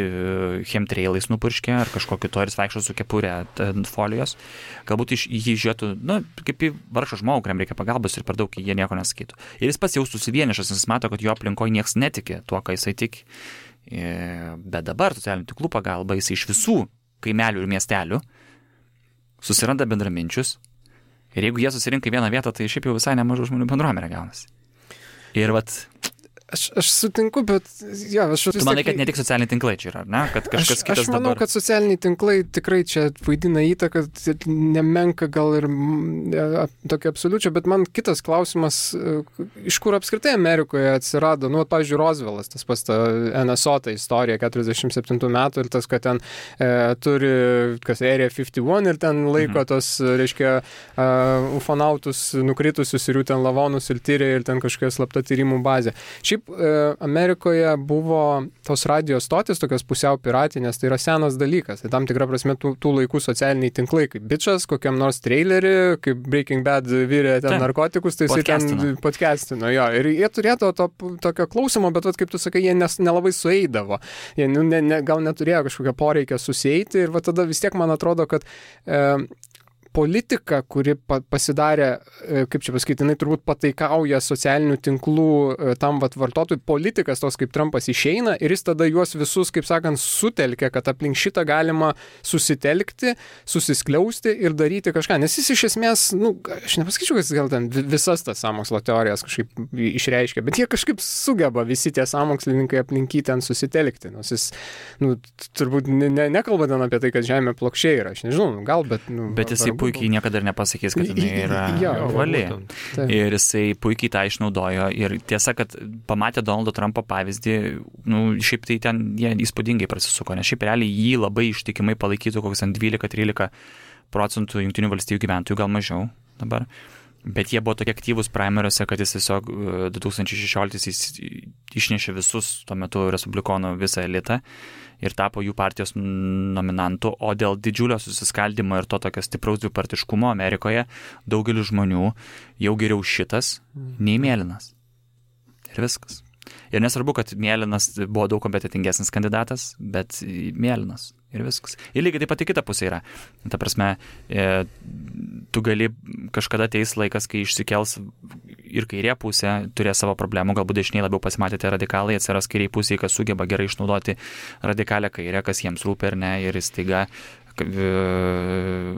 chemtrailais nupurškė ar kažkokį to ir jis vaikšto su kepurė ant folijos. Galbūt iš jį žiūrėtų, na, kaip į vargšą žmogų, kuriam reikia pagalbos ir per daug jie nieko nesakytų. Ir jis pats jaustųsi vienišas, nes mato, kad jo aplinkoje niekas netiki tuo, ką jisai tiki. Bet dabar socialinių tinklų pagalba jisai iš visų kaimelių ir miestelių susiranda bendraminčius. Ir jeigu jie susirinka į vieną vietą, tai šiaip jau visai nemažų žmonių bendruomenė gaunasi. Ir vat Aš, aš sutinku, bet... Ja, aš tu manai, kad ne tik socialiniai tinklai čia yra, ne? Kad kažkas aš, kitas aš manau, dabar... kad socialiniai tinklai tikrai čia vaidina įtaką, nemenka gal ir ja, tokia absoliučia, bet man kitas klausimas, iš kur apskritai Amerikoje atsirado, nu, pavyzdžiui, Rooseveltas, tas pas ta N S O ta istorija keturiasdešimt septintų metų ir tas, kad ten e, turi, kas Area penkdesimt vienas ir ten laiko mhm. tos, reiškia, uh, ufonautus nukritusius ir jų ten lavonus ir tyrė ir ten kažkokia slapta tyrimų bazė. Šiaip Amerikoje buvo tos radio stotis, tokios pusiau piratinės, tai yra senas dalykas. Tai tam tikra prasme tų, tų laikų socialiniai tinklai, kaip bičas, kokiam nors trailerį, kaip Breaking Bad virė ten Ten. narkotikus, tai jisai ten podcastino. Jo, ir jie turėtų to tokio klausimo, bet vat, kaip tu sakai, jie nes, nelabai sueidavo. Jie nu, ne, ne, gal neturėjo kažkokią poreikę susieiti ir va tada vis tiek man atrodo, kad e, politika, kuri pa, pasidarė, kaip čia pasakyti, jinai turbūt pataikauja socialinių tinklų tam vat vartotojui, politikas tos kaip Trumpas išeina ir jis tada juos visus, kaip sakant, sutelkia, kad aplink šitą galima susitelkti, susiskliausti ir daryti kažką. Nes jis iš esmės, nu, aš nepasakyčiau, kad jis gal ten visas tas sąmokslo teorijas kažkaip išreiškia, bet jie kažkaip sugeba visi tie sąmokslininkai aplink jį ten susitelkti. Nors jis, nu, turbūt ne, ne, nekalba ten apie tai, kad žemė plokščiai yra, aš nežinau, gal, bet... Nu, bet jisai puikiai niekada ir nepasakys, kad jinai yra ja, ovali. Ir jisai puikiai tą išnaudojo. Ir tiesa, kad pamatė Donaldo Trumpo pavyzdį, nu, šiaip tai ten jie įspūdingai prasisuko, nes šiaip realiai jį labai ištikimai palaikytų kokius dvylika trylika procentų Jungtinių valstijų gyventojų, gal mažiau dabar. Bet jie buvo tokie aktyvūs primariuose, kad jis tiesiog du tūkstančiai šešioliktaisiais išnešė visus tuo metu respublikonų visą elitą ir tapo jų partijos nominantu, o dėl didžiulio susiskaldimo ir to tokio stipraus dvipartiškumo Amerikoje daugelis žmonių jau geriau šitas nei mėlynas. Ir viskas. Ir nesvarbu, kad mėlynas buvo daug kompetentingesnis kandidatas, bet mėlynas. Ir viskas. Ir lygiai taip pat į kitą pusę yra. Ta prasme, e, tu gali kažkada ateis laikas, kai išsikels ir kairė pusė, turės savo problemų, galbūt dešiniai labiau pasimatėte radikalai, atsiras kairiai pusė, kas sugeba gerai išnaudoti radikalę kairę, kas jiems rūpi ar ne, ir staiga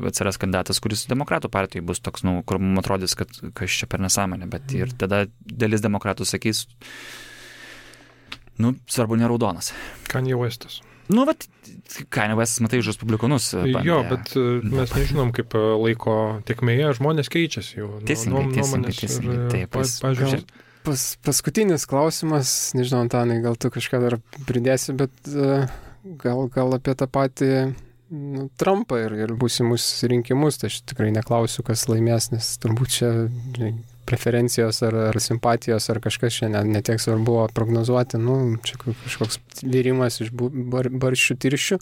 atsiras kandidatas, kuris demokratų partijai bus toks, nu, kur mums atrodys, kad kas čia per nesąmonė, bet ir tada dalis demokratų sakys, nu, svarbu ne raudonas. Kanye Westas. Nu, bet Kanye Westas, matai, už respublikonus. Bandė. Jo, bet mes nežinom, kaip laiko tiekmėje žmonės keičiasi jau. Teisingai, teisingai, teisingai. Taip, pažiūrės. Pas, paskutinis klausimas, nežinau, Antanai, gal tu kažką dar pridėsi, bet uh, gal, gal apie tą patį nu, Trumpą ir, ir būsimus rinkimus, tai aš tikrai neklausiu, kas laimės, nes turbūt čia preferencijos ar, ar simpatijos ar kažkas čia netiek svarbu buvo prognozuoti, nu, čia kažkoks vyrimas iš bar, barščių tirščių,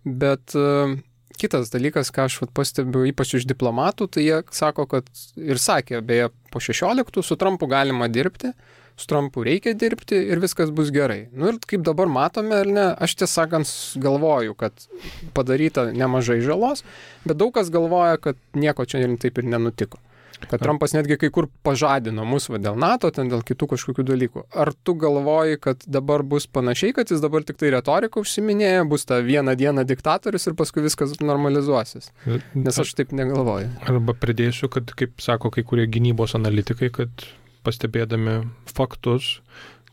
bet uh, kitas dalykas, ką aš vat, pastebiu, ypač iš diplomatų, tai jie sako, kad ir sakė, beje, po šešioliktų su Trumpu galima dirbti, su Trumpu reikia dirbti ir viskas bus gerai. Nu ir kaip dabar matome, ar ne, aš tiesą sakant galvoju, kad padaryta nemažai žalos, bet daug kas galvoja, kad nieko čia taip ir nenutiko. Kad Trumpas netgi kai kur pažadino mus va, dėl NATO, ten dėl kitų kažkokių dalykų. Ar tu galvoji, kad dabar bus panašiai, kad jis dabar tik tai retoriką užsiminėja, bus ta vieną dieną diktatorius ir paskui viskas normalizuosis? Nes aš taip negalvoju. Arba pridėsiu, kad, kaip sako kai kurie gynybos analitikai, kad pastebėdami faktus,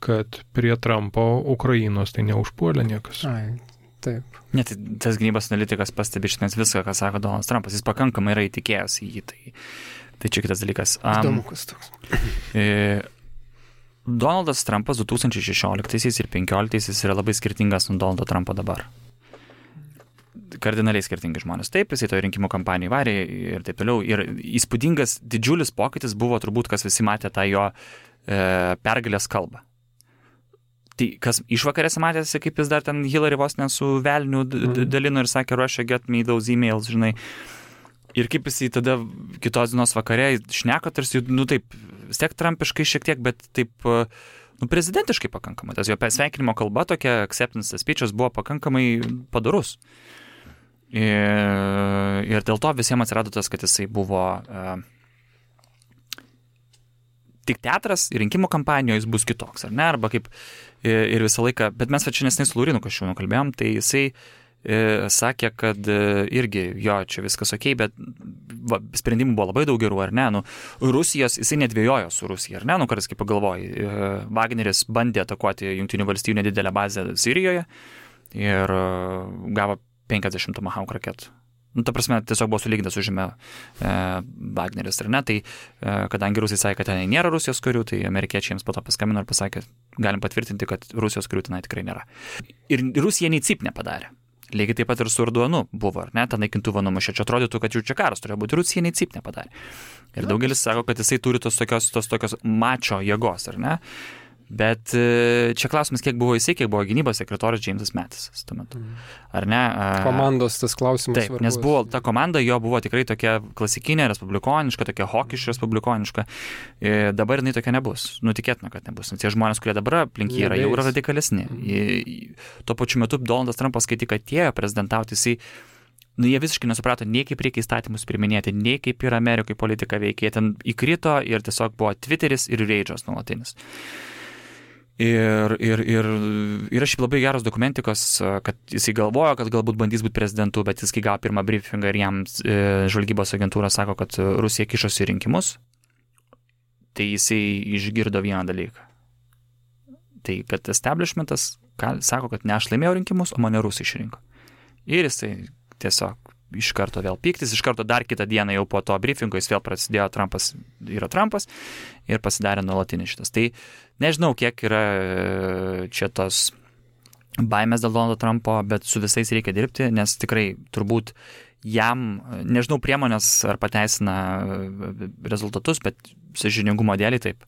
kad prie Trumpo Ukrainos tai neužpuolė niekas. Ai. Taip. Net tas gynybos analitikas pastebi šiandien viską, ką sako Donaldas Trumpas. Jis pakankamai yra įtikėjęs į jį. Tai, tai čia kitas dalykas. Um, Įdomu, kas toks. E, Donaldas Trumpas du tūkstančiai šešioliktaisiais ir penkioliktaisiais yra labai skirtingas nuo Donaldo Trumpo dabar. Kardinaliai skirtingi žmonės. Taip, jisai to rinkimų kampanijai varė ir taip toliau. Ir įspūdingas, didžiulis pokytis buvo turbūt, kas visi matė tą jo e, pergalės kalbą. Tai kas išvakarėse matėsi, kaip jis dar ten Hillary vos ne su velniu d- dalino ir sakė, Russia get me those emails, žinai. Ir kaip jis į tada kitos dienos vakarė šneka, tarsi, nu taip, vis tiek trampiškai šiek tiek, bet taip, nu prezidentiškai pakankamai. Tas jo sveikinimo kalba, tokia acceptance speech'as buvo pakankamai padorus. Ir, ir dėl to visiems atsirado tas, kad jisai buvo uh, tik teatras ir rinkimų kampanijoje jis bus kitoks, ar ne? Arba kaip ir visą laiką, bet mes va čia nesnai su Laurinu Kasčiūnu kalbėjom, tai jisai e, sakė, kad e, irgi, jo, čia viskas okei, bet va, sprendimų buvo labai daug gerų, ar ne? Nu, Rusijos, jisai nedvėjojo su Rusija, ar ne? Nu, kartais kaip pagalvoji, e, Wagneris bandė atakuoti Jungtinių valstijų nedidelę bazę Sirijoje ir e, gavo penkiasdešimt Tomahawk raketų. Nu, ta prasme, tiesiog buvo sulygintas užėmė e, Wagneris, ar ne? Tai, e, kadangi Rusai sakė, kad ten nėra Rusijos karių, tai amerikiečiai jiems po to paskambino ir pasakė, galim patvirtinti, kad Rusijos karių ten tikrai nėra. Ir Rusija nei cip nepadarė. Lygiai taip pat ir su Erdoanu buvo, ar ne? Ta naikintuvą numušė. Čia atrodytų, kad jau čia karas turėjo būti. Rusija nei cip nepadarė. Ir daugelis sako, kad jisai turi tos tokios, tos tokios mačo jėgos, ar ne? Bet čia klausimas, kiek buvo jisai, kiek buvo gynybos sekretorius Jamesas Mattisas tuo metu. Ar ne? Komandos tas klausimas. Taip, svarbus. Nes buvo, ta komanda jo buvo tikrai tokia klasikinė, respublikoniška, tokia hokiš respublikoniška. E, dabar jinai tokia nebus. Nutikėtina, kad nebus. Nes tie žmonės, kurie dabar aplink jį yra, jau yra radikalesni. E, tuo pačiu metu Donaldas Trumpas, kai tik atėjo prezidentauti, jisai nu, jie visiškai nesuprato, nei kaip reikia įstatymus priminėti, nei kaip ir Amerikai politika veikia. Jie ten įkrito ir tiesiog buvo Twitteris ir Rage'as nuolatinis. Ir, ir, ir yra šiaip labai geros dokumentikos, kad jisai galvojo, kad galbūt bandys būti prezidentu, bet jis kai gavo pirmą briefingą ir jam e, žvalgybos agentūra sako, kad Rusija kišosi į rinkimus, tai jisai išgirdo vieną dalyką. Tai kad establishmentas ką, sako, kad ne aš laimėjau rinkimus, o mane Rusai išrinko. Ir jisai tiesiog iš karto vėl pyktis, iš karto dar kitą dieną jau po to briefingo jis vėl prasidėjo Trumpas yra Trumpas ir pasidarė nuolatinis šitas. Tai nežinau, kiek yra čia tos baimės dėl Donaldo Trumpo, bet su visais reikia dirbti, nes tikrai turbūt jam, nežinau, priemonės ar pateisina rezultatus, bet sąžiningumo dėlei taip.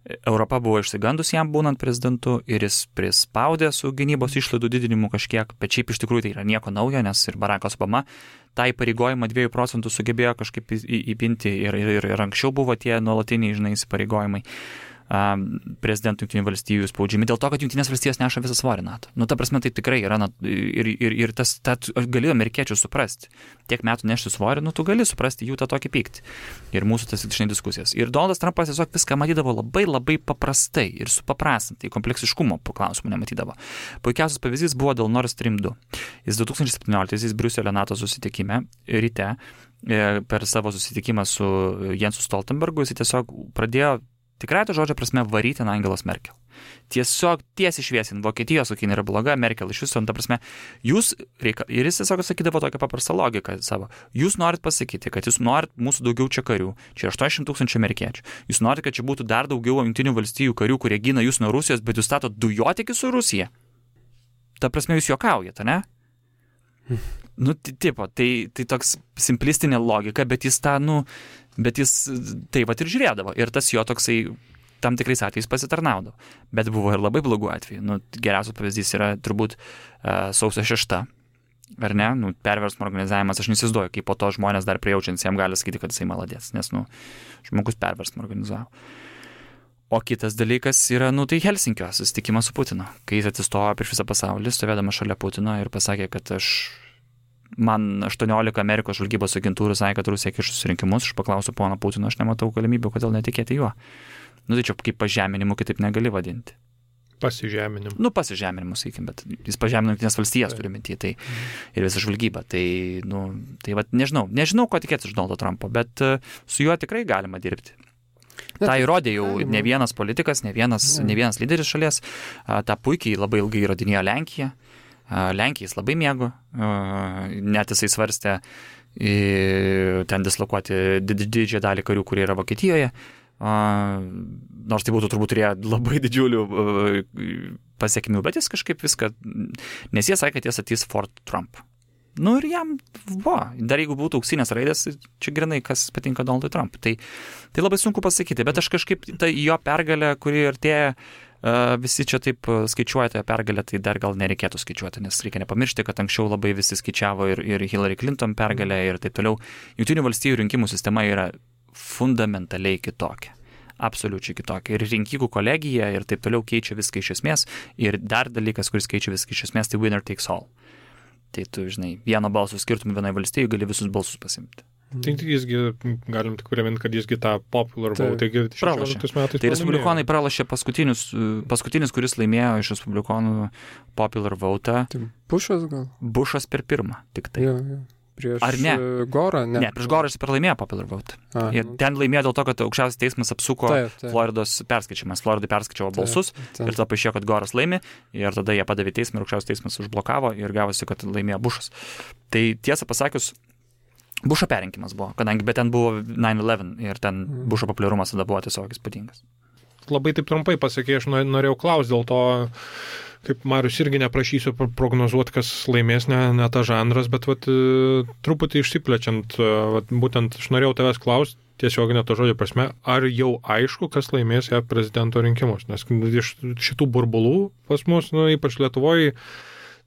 Europa buvo išsigandus jam būnant prezidentu ir jis prispaudė su gynybos išlaidų didinimu kažkiek, bet šiaip iš tikrųjų tai yra nieko naujo, nes ir Barackas Obama tą įpareigojimą dviejų procentų sugebėjo kažkaip įpinti ir, ir, ir anksčiau buvo tie nuolatiniai, žinai, įpareigojimai prezidentų Jungtinių valstijų spaudžiami dėl to, kad Jungtinės valstijos neša visą svorį NATO. Nu, ta prasme, tai tikrai yra, na, ir, ir, ir tas, ta, gali amerikiečių suprasti. Tiek metų nešti svorį, nu, tu gali suprasti jų tą tokį pyktį. Ir mūsų tas žinai diskusijas. Ir Donaldas Trumpas tiesiog viską matydavo labai, labai paprastai ir supaprastintai, kompleksiškumo klausimų nematydavo. Puikiausias pavyzdys buvo dėl Nord Stream du. Jis du tūkstančiai septynioliktaisiais Briuselio NATO susitikime ryte per savo susitikimą su Jensu Stoltenbergu, jis tiesiog pradėjo Tikrai to žodžio prasme varyti ant Angelos Merkel. Tiesiog tiesiai šviesin, Vokietijos kokia yra bloga, Merkel iš viso, ta prasme, jūs, reika, ir jis tiesiog sakydavo tokią paprastą logiką savo, jūs norit pasakyti, kad jūs norit mūsų daugiau čia karių, čia aštuoniasdešimt tūkstančių amerikiečių, jūs norit, kad čia būtų dar daugiau jungtinių valstijų karių, kurie gina jūs nuo Rusijos, bet jūs statot dujotikį su Rusija. Ta prasme, jūs juokaujate, ne? Nu, tipo, tai, tai toks simplistinė logika, bet jis tą, nu, bet jis tai vat ir žiūrėdavo, ir tas jo toksai tam tikrais atvejais pasitarnaudavo. Bet buvo ir labai blogų atvejų. Nu, geriausias pavyzdys yra turbūt uh, sausio šešta. Ar ne? Nu, perversmo organizavimas, aš nesizduoju, kaip po to žmonės dar prijaučiant, jam gali sakyti, kad jisai maladės, nes, nu, žmogus perversmo organizavo. O kitas dalykas yra, nu, tai Helsinkio susitikimas su Putinu. Kai jis atsistojo prieš visą pasaulį, stovėdama šalia Putino ir pasakė, kad aš, man aštuoniolika Amerikos žvalgybos agentūrų sakė, kad Rusija kišus rinkimus, aš paklausiu pono Putino, aš nematau galimybių, kodėl netikėti juo. Nu, tai čia kaip pažeminimu kitaip negali vadinti. Pasižeminimu. Nu, pasižeminimu, sakykim, bet jis pažemino Jungtines valstijas, turi minty, tai ir visą žvalgybą. Tai, nu, tai va, nežinau, nežinau, ko tikėtis iš Donaldo Trumpo, bet uh, su juo tikrai galima dirbti. Ta įrodė jau ne vienas politikas, ne vienas, ne vienas lyderis šalies, uh, tą puikiai labai ilgai įrodinėjo Lenkija. Uh, Lenkija jis labai mėgo, uh, net jisai svarstė uh, ten dislokuoti didžiąją dalį karių, kurie yra Vokietijoje. Uh, nors tai būtų turbūt turėję labai didžiulių uh, pasiekmių, bet jis kažkaip viską, nes jie sakė, kad jis atys Fort Trump. Nu ir jam, va, dar jeigu būtų auksinės raidės, čia grinai, kas patinka Donaldui Trump. Tai, tai labai sunku pasakyti, bet aš kažkaip ta jo pergalė, kuri artėja, uh, visi čia taip skaičiuoja tą pergalę, tai dar gal nereikėtų skaičiuoti, nes reikia nepamiršti, kad anksčiau labai visi skaičiavo ir, ir Hillary Clinton pergalę ir taip toliau. Jungtinių valstijų rinkimų sistema yra fundamentaliai kitokia. Absoliučiai kitokia. Ir rinkikų kolegija ir taip toliau keičia viską iš esmės. Ir dar dalykas, kuris keičia viską iš esmės, tai winner takes all. Tai tu, žinai, vieno balsų skirtumų vienai valstijai gali visus balsus pasimti. Tai jisgi, galim tik priminti, kad jisgi tą popular vote, taigi šešioliktais metais. Tai respublikonai pralašė paskutinius, paskutinis, kuris laimėjo iš respublikonų popular vote. Tai Bušas gal? Bušas per pirmą, tik tai. Jo, jo. Prieš Ar ne? Gorą? Ne, ne prieš Gorą jis pralaimėjo popular vote. A, ir ten laimėjo dėl to, kad aukščiausias teismas apsuko taip, taip. Floridos perskaičiamas. Floridai perskaičiavo balsus taip, taip. Ir tada paaiškėjo, kad Goras laimi ir tada jie padavė teismą ir aukščiausias teismas užblokavo ir gavosi, kad laimėjo Bušas. Tai tiesą pasakius, Bušo perrinkimas buvo, kadangi bet ten buvo nine eleven ir ten mm. Bušo populiarumas tada buvo tiesiog įspūdingas. Labai taip trumpai pasakė, aš norėjau klausti dėl to, kaip Marius irgi neprašysiu prognozuoti, kas laimės, ne, ne ta žanras, bet vat, truputį išsiplečiant, vat, būtent aš norėjau tavęs klausti, tiesiog ne to žodžio prasme, ar jau aišku, kas laimės ją prezidento rinkimus, nes iš šitų burbulų pas mus, nu, ypač Lietuvoje,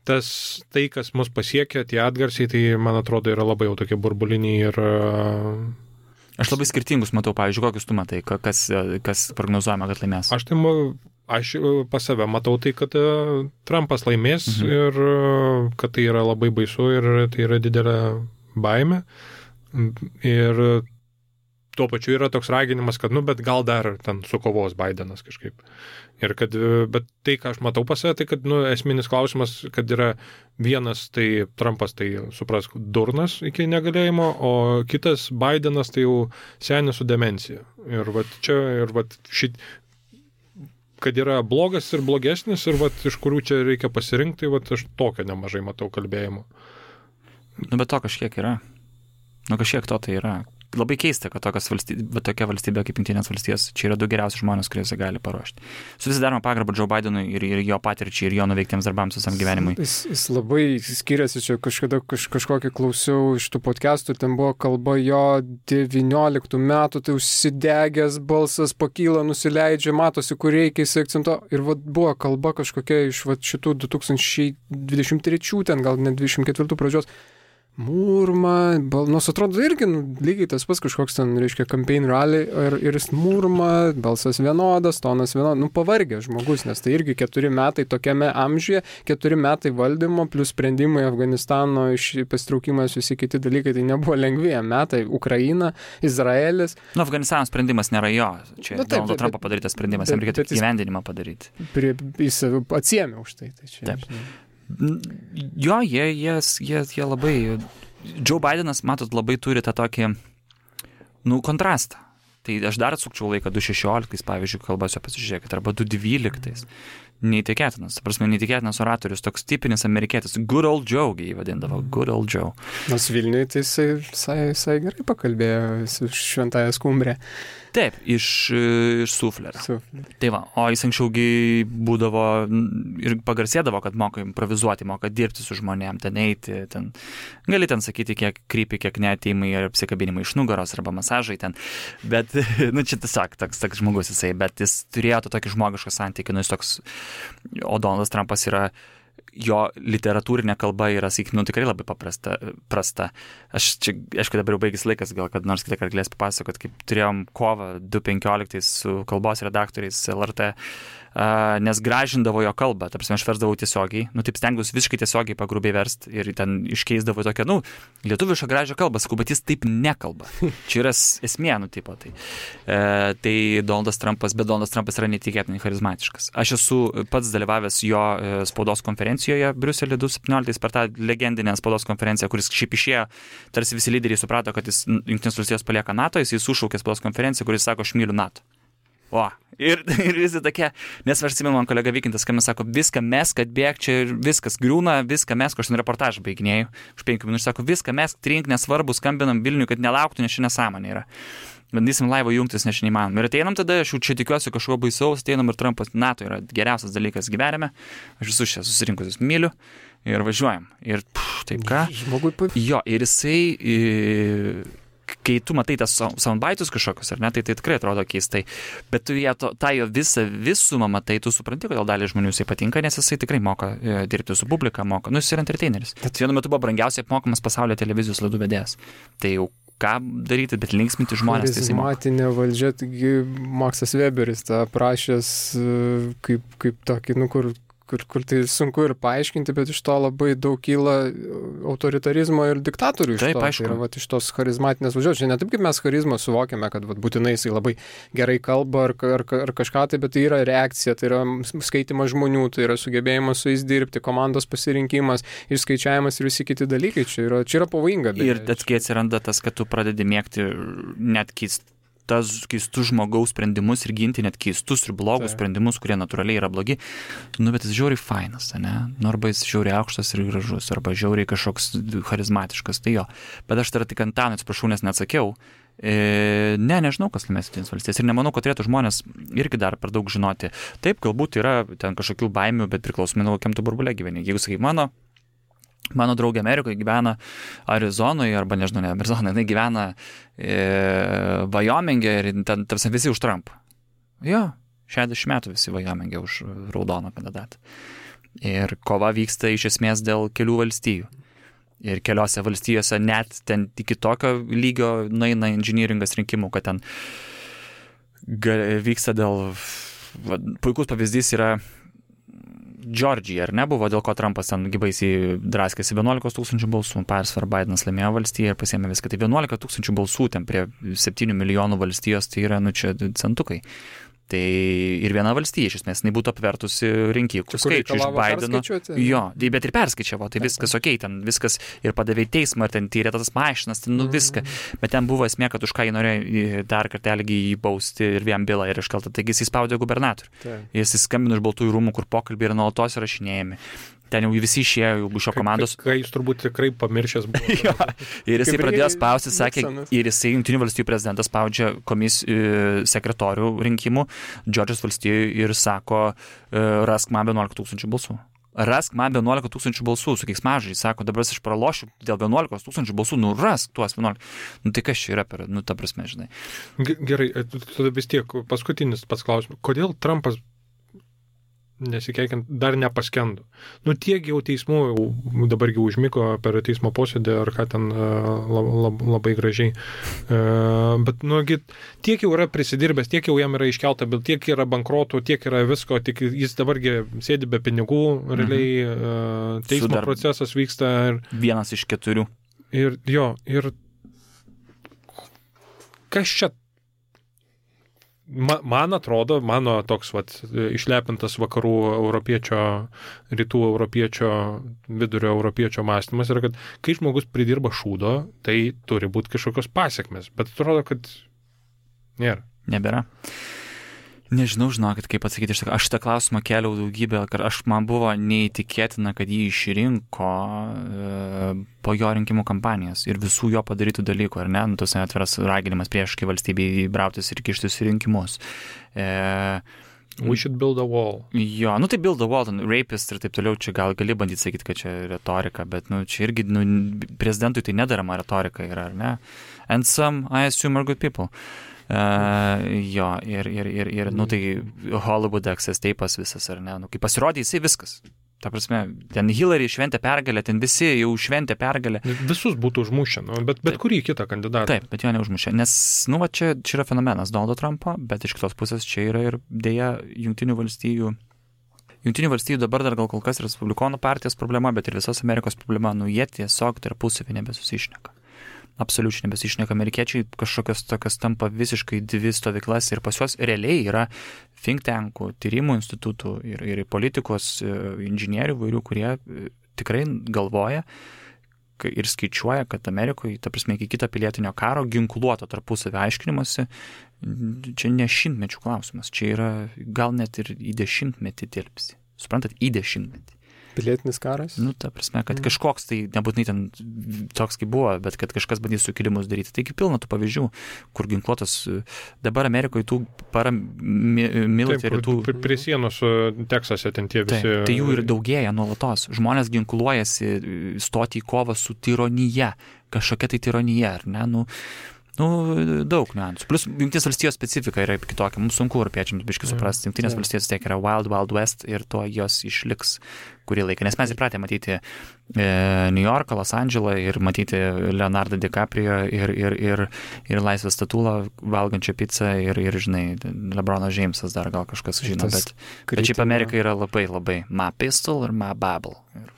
tas tai, kas mus pasiekia, tie atgarsiai, tai man atrodo yra labai jau tokie burbuliniai ir... Aš labai skirtingus matau, pavyzdžiui, kokius tu matai, kas, kas prognozuojama, kad laimės. Aš tai aš pas save matau tai, kad Trumpas laimės mhm. ir kad tai yra labai baisu ir tai yra didelė baimė. Ir tuo pačiu yra toks raginimas, kad, nu, bet gal dar ten sukovos Bidenas kažkaip. Ir kad, bet tai, ką aš matau pas save, tai, kad, nu, esminis klausimas, kad yra vienas, tai Trumpas, tai suprask, durnas iki negalėjimo, o kitas Bidenas, tai jau senis su demencija. Ir vat čia, ir vat šit, kad yra blogas ir blogesnis, ir vat iš kurių čia reikia pasirinkti, tai vat aš tokio nemažai matau kalbėjimo. Nu, bet to kažkiek yra. Nu, kažkiek to tai yra. Labai keista, kad valstybė, tokia valstybė kaip Jungtinės valstijos, čia yra du geriausi žmonės, kurie gali paruošti. Su visi daroma pagarbą Joe Bidenui ir, ir jo patirčiai, ir jo nuveiktiems darbams visam gyvenimui. Jis, jis labai skiriasi, čia kažkada kaž, kažkokį klausiau iš tų podcastų, ten buvo kalba jo devynioliktų metų, tai užsidegęs balsas pakyla, nusileidžia, matosi, kur reikia, jis akcentuo. Ir vat, buvo kalba kažkokia iš vat, šitų du tūkstančiai dvidešimt trečių, ten gal net dvidešimt ketvirtų pradžios. Murma, bal, nors atrodo irgi nu, lygiai tas pas kažkoks ten, reiškia, campaign rally ir, ir jis murma, balsas vienodas, tonas vienodas, nu pavargė žmogus, nes tai irgi keturi metai tokiame amžiuje, keturi metai valdymo, plus sprendimai Afganistano, pasitraukimas, visi kiti dalykai, tai nebuvo lengvieji metai, Ukraina, Izraelis. Nu, Afganistano sprendimas nėra jo, čia nu, Donaldo Trumpo padarytas sprendimas, jam reikėtų įgyvendinimą padaryti. Prie, jis atsiėmė už tai. tai čia, taip. Žinai. Jo, jie, jie, jie, jie labai... Joe Bidenas, matot, labai turi tą tokį, nu, kontrastą. tai aš dar atsukčiau laiką du šešioliktais, pavyzdžiui, kalbasiu pasižiūrėkit, arba du dvyliktais. Neįtikėtinas, prasme, neįtikėtinas oratorius, toks tipinis amerikietis, good old Joe, jį vadindavo, good old Joe. Nors Vilniuje tai jisai, jisai, jisai gerai pakalbėjo su Šventąja Skumbrė. Taip, iš, iš Suflerio. Suflerio. Tai va, o jis anksčiaugi būdavo ir pagarsėdavo, kad moka improvizuoti, moka dirbti su žmonėm, ten eiti, ten, gali ten sakyti, kiek krypi, kiek neateimai ir apsikabinimai iš nugaros arba masažai ten, bet, nu čia tiesiog toks, toks žmogus jisai, bet jis turėjo to tokį žmogišką santykį, nu jis toks, o Donaldas Trumpas yra, jo literatūrinė kalba yra, sakykim, nu, tikrai labai paprasta, prasta. Aš čia, aišku, dabar jau baigis laikas, gal kad nors kitą kartą galės papasakot, kaip turėjom kovą du penkioliktais su kalbos redaktoriais L R T, uh, nes gražindavo jo kalbą, ta prasme, aš versdavau tiesiogiai, nu, taip stengiausi visiškai tiesiogiai pagrubiai verst ir ten iškeisdavo tokią, nu, lietuvišką gražią kalbą, sakau, bet jis taip nekalba. Čia yra esmė, nu, tipo, tai. Uh, tai Donaldas Trumpas, bet Donaldas Trumpas yra netikėtinai charizmatiškas. Aš esu pats dalyvavęs jo uh, spaudos konferencijoje Briuselį du septynioliktais per tą legendinę spaudos konferenciją, kuris šiaip išėjo, tarsi visi lyderiai suprato, kad jis Jungtinės valstijos palieka NATO, jis sušaukė spaudos konferenciją, kuris sako, aš myliu NATO. O, ir, ir visi tokie, nes aš atsimenu, man kolega Vykintas, kai mes sako, viską mesk, atbėg, čia viskas griūna, viską mesk, aš ten reportažą baiginėjau, už penkių minučių sako, viską mesk, trink, nesvarbu, skambinam Vilniui, kad nelauktų, nes ši nesąmonė yra. Bandysim laivo jungtis, nes neįmanom. Ir ateinam tada, aš jau čia tikiuosi kažko baisaus, ateinam ir Trumpas, NATO yra geriausias dalykas gyvenime, aš visus čia susirinkusius myliu ir važiuojam. Ir pff, taip ką? Žmogui pavyzdžiui. Jo, ir jisai, kai tu matai tas soundbaitus kažkokius, ar ne, tai tai tikrai atrodo keistai, bet tu ją to, tą jo visą visumą matai, tu supranti, kodėl dalį žmonių jisai patinka, nes jisai tikrai moka e, dirbti su publika, moka, nu jis yra entertaineris. Bet vienu metu buvo brangiausiai apmokamas pasaulio televizijos laidų vedėjas. Tai jau ką daryti, bet linksminti žmonės. Charizmatinė valdžia, taigi Maksas Weberis tą prašęs kaip, kaip tokį, nu kur, kur, kur tai sunku ir paaiškinti, bet iš to labai daug kyla autoritarizmo ir diktatorių iš Taip, to. Aišku. Tai yra vat, iš tos charizmatinės valdžios. Čia ne taip, kaip mes charizmą suvokiame, kad vat, būtinai jisai labai gerai kalba ar, ar, ar kažką tai, bet tai yra reakcija, tai yra skaitimas žmonių, tai yra sugebėjimas su jais dirbti, komandos pasirinkimas, išskaičiavimas ir visi kiti dalykai. Čia yra, čia yra pavojinga. Ir atkai atsiranda tas, kad tu pradedi mėgti net keist tas keistus žmogaus sprendimus ir ginti net keistus ir blogus tai. sprendimus, kurie natūraliai yra blogi, nu, bet jis žiauriai fainas, ne? Nu, arba jis žiauriai aukštas ir gražus, arba žiauriai kažkoks charizmatiškas, tai jo. Bet aš dar tik Antanui atsiprašau, nes neatsakiau. E, ne, nežinau, kas laimės Jungtinės valstijas ir nemanau, kad turėtų žmonės irgi dar per daug žinoti. Taip, galbūt yra ten kažkokių baimių, bet priklausomai nuo kokiam tu burbule gyveni. Jeigu sakai, mano Mano draugė Amerikoje gyvena Arizonoje, arba nežinau, ne Arizonoje, jinai gyvena e, Vajomingė ir ten tarsi visi už Trumpą. Jo, šešiasdešimt metų visi Vajomingė už raudoną kandidatą. Ir kova vyksta iš esmės dėl kelių valstijų. Ir keliose valstijose net ten iki tokio lygio nueina inžinieringas rinkimų, kad ten vyksta dėl... Va, puikus pavyzdys yra Džordžija, ar ne, buvo, dėl ko Trumpas ten gybaisiai draskėsi vienuolika tūkstančių balsų, persvar Bidenas laimėjo valstiją ir pasiėmė viską. Tai vienuolika tūkstančių balsų ten prie septynių milijonų valstijos, tai yra, nu čia centukai. Tai ir viena valstija, iš esmės, jinai būtų apvertusi rinkikų skaičių iš Bideno. Jo, bet ir perskaičiavo, tai viskas okei, okay, ten viskas ir padavė į teismą, ir ten tyrė tas mašinas, ten nu viską. Bet ten buvo esmė, kad už ką jį norėjo dar kartelį jį bausti ir vien bylą ir iškelta. Taigi jis įspaudė gubernatorių. Jis įskambino iš Baltųjų rūmų, kur pokalbiai yra nuolatos įrašinėjami. Ten jau visi išėjo iš šio komandos. Kai jis turbūt tikrai pamiršęs buvo. Jo, ir jisai pradėjo spausti, sakė, ir jisai Jungtinių valstijų prezidentas spaudžia komisijų sekretorių rinkimų Džordžijos valstijų ir sako, rask man vienuolika tūkstančių balsų. Rask man vienuolika tūkstančių balsų, su keiksmažodžiais, sako, dabar aš pralošiu dėl vienuolika tūkstančių balsų, nu rask tuos vienuolika. Nu tai kas čia yra per, nu ta prasme, žinai. Gerai, tada vis tiek paskutinis pats klausimas. Kodėl Trumpas nesikeikiant, dar nepaskendo. Nu tiek jau teismų, jau dabar jau užmiko per teismo posėdį, ar ką ten lab, lab, labai gražiai. Bet, nu, tiek jau yra prisidirbęs, tiek jau jam yra iškelta, bet tiek yra bankrotų, tiek yra visko, tik jis dabargi sėdi be pinigų, realiai mhm. teismo Sudar... procesas vyksta. Ir, vienas iš keturių. Ir jo, ir kas čia man atrodo, mano toks vat, išlepintas vakarų europiečio, rytų europiečio, vidurio europiečio mąstymas yra, kad kai žmogus pridirba šūdo, tai turi būti kažkokios pasiekmes. Bet atrodo, kad Nėra. Nebėra. Nežinau, žinokit, kaip atsakyti, aš, aš tą klausimą keliau daugybę, kad aš man buvo neįtikėtina, kad jį išrinko e, po jo rinkimų kampanijos ir visų jo padarytų dalykų, ar ne, nu, tos atviras raginimas prieškai valstybei brautis ir kištis į rinkimus. E, We should build a wall. Jo, nu tai build a wall, ten, rapist ir taip toliau, čia gal gali bandyti sakyti, kad čia retorika, bet nu, čia irgi nu, prezidentui tai nedarama retorika yra, ar ne? And some, I assume, are good people. Uh, jo, ir, ir, ir, ir nu, tai Hollywood access teipas visas, ar ne? Nu, kai pasirodė, jisai viskas. Ta prasme, ten Hillary šventė pergalę, ten visi jau šventė pergalę. Visus būtų užmušę, nu, bet, bet kurį kitą kandidatą. Taip, bet jo neužmušė, nes, nu, va, čia, čia yra fenomenas Donaldo Trumpo, bet iš kitos pusės čia yra ir dėja Jungtinių valstijų. Jungtinių valstijų dabar dar gal kol kas Respublikonų partijos problema, bet ir visos Amerikos problema, nu, jie tiesiog tarpusavy nebesusišneka. Absoliučiai nebesišneka. Amerikiečiai kažkokios tokios tampa visiškai dvi stovyklas ir pas juos realiai yra think tankų, tyrimų institutų ir, ir politikos inžinierių vairių, kurie tikrai galvoja ir skaičiuoja, kad Amerikoje, ta prasme, iki kito pilietinio karo ginkluoto tarpusavio aiškinimuose, čia ne šimtmečių klausimas, čia yra gal net ir į dešimtmetį tilpsi. Suprantat, į dešimtmetį. Pilietinis karas? Nu, ta prasme, kad kažkoks tai, nebūtinai ten toks kaip buvo, bet kad kažkas bandys sukilimus daryti. Taigi pilna tų pavyzdžių, kur ginkluotos, dabar Amerikoje tų paramilitarių tų... Taip, prie sienos Teksase ten tie visi... Taip, tai jų ir daugėja nuolatos. Žmonės ginkluojasi stoti į kovą su tironija, kažkokia tai tironija, ar ne? Nu, Nu, daug niuansų. Plus, Jungtinės valstijos specifika yra kitokia. Mums sunku europiečiams biškai suprasti. Jungtinės valstijos tiek yra Wild Wild West ir to jos išliks kurį laiką. Nes mes įpratę matyti e, New Yorką, Los Andželą ir matyti Leonardo DiCaprio ir, ir, ir, ir Laisvės statulą valgančią pizzą ir, ir žinai, LeBronas Jamesas dar gal kažkas žino. Bet, bet šiaip Amerika yra labai, labai my pistol ir my Bible. Ir...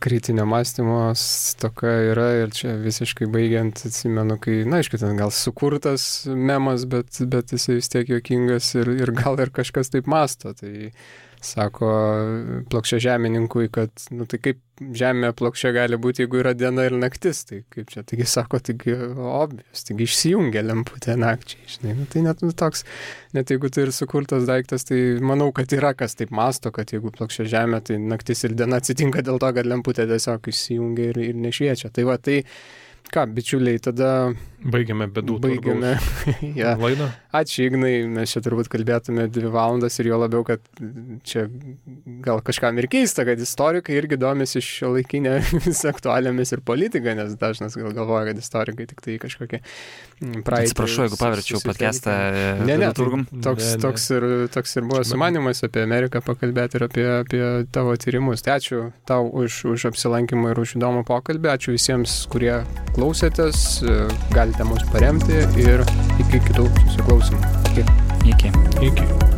Kritinio mąstymo stoka yra ir čia visiškai baigiant atsimenu, kai, na, aišku, ten gal sukurtas memas, bet, bet jisai vis tiek juokingas ir, ir gal ir kažkas taip mąsto. Tai sako plokščiažemininkui, kad, nu tai kaip žemė plokščia gali būti, jeigu yra diena ir naktis. Tai kaip čia, taigi sako, taigi obvious, taigi išsijungia lemputė nakčiai, žinai. Nu, tai net nu, toks, net jeigu tai ir sukurtas daiktas, tai manau, kad yra kas taip mąsto, kad jeigu plokščia žemė, tai naktis ir diena atsitinka dėl to, kad lemputė tiesiog išsijungia ir, ir nešviečia. Tai va, tai ką, bičiuliai, tada... Baigiame bedų Baigiame. Ja. Laidą. Ačiū, Ignai, mes čia turbūt kalbėtume dvi valandas ir jo labiau, kad čia gal kažkam ir keista, kad istorikai irgi domisi šiuolaikinėmis aktualijomis ir politika, nes dažnas gal galvoja, kad istorikai tik tai kažkokie praeitį. Atsiprašau, jeigu paverčiau podcastą. Ne, ne, turgum. Toks, ne, ne. Toks, ir, toks ir buvo sumanimas apie Ameriką pakalbėti ir apie, apie tavo tyrimus. Tai ačiū tau už, už apsilankymą ir už įdomų pokalbį. Ačiū visiems, kurie klausėtės. Galite mus paremti ir iki kitų susiklausimų. Iki. Iki. Iki.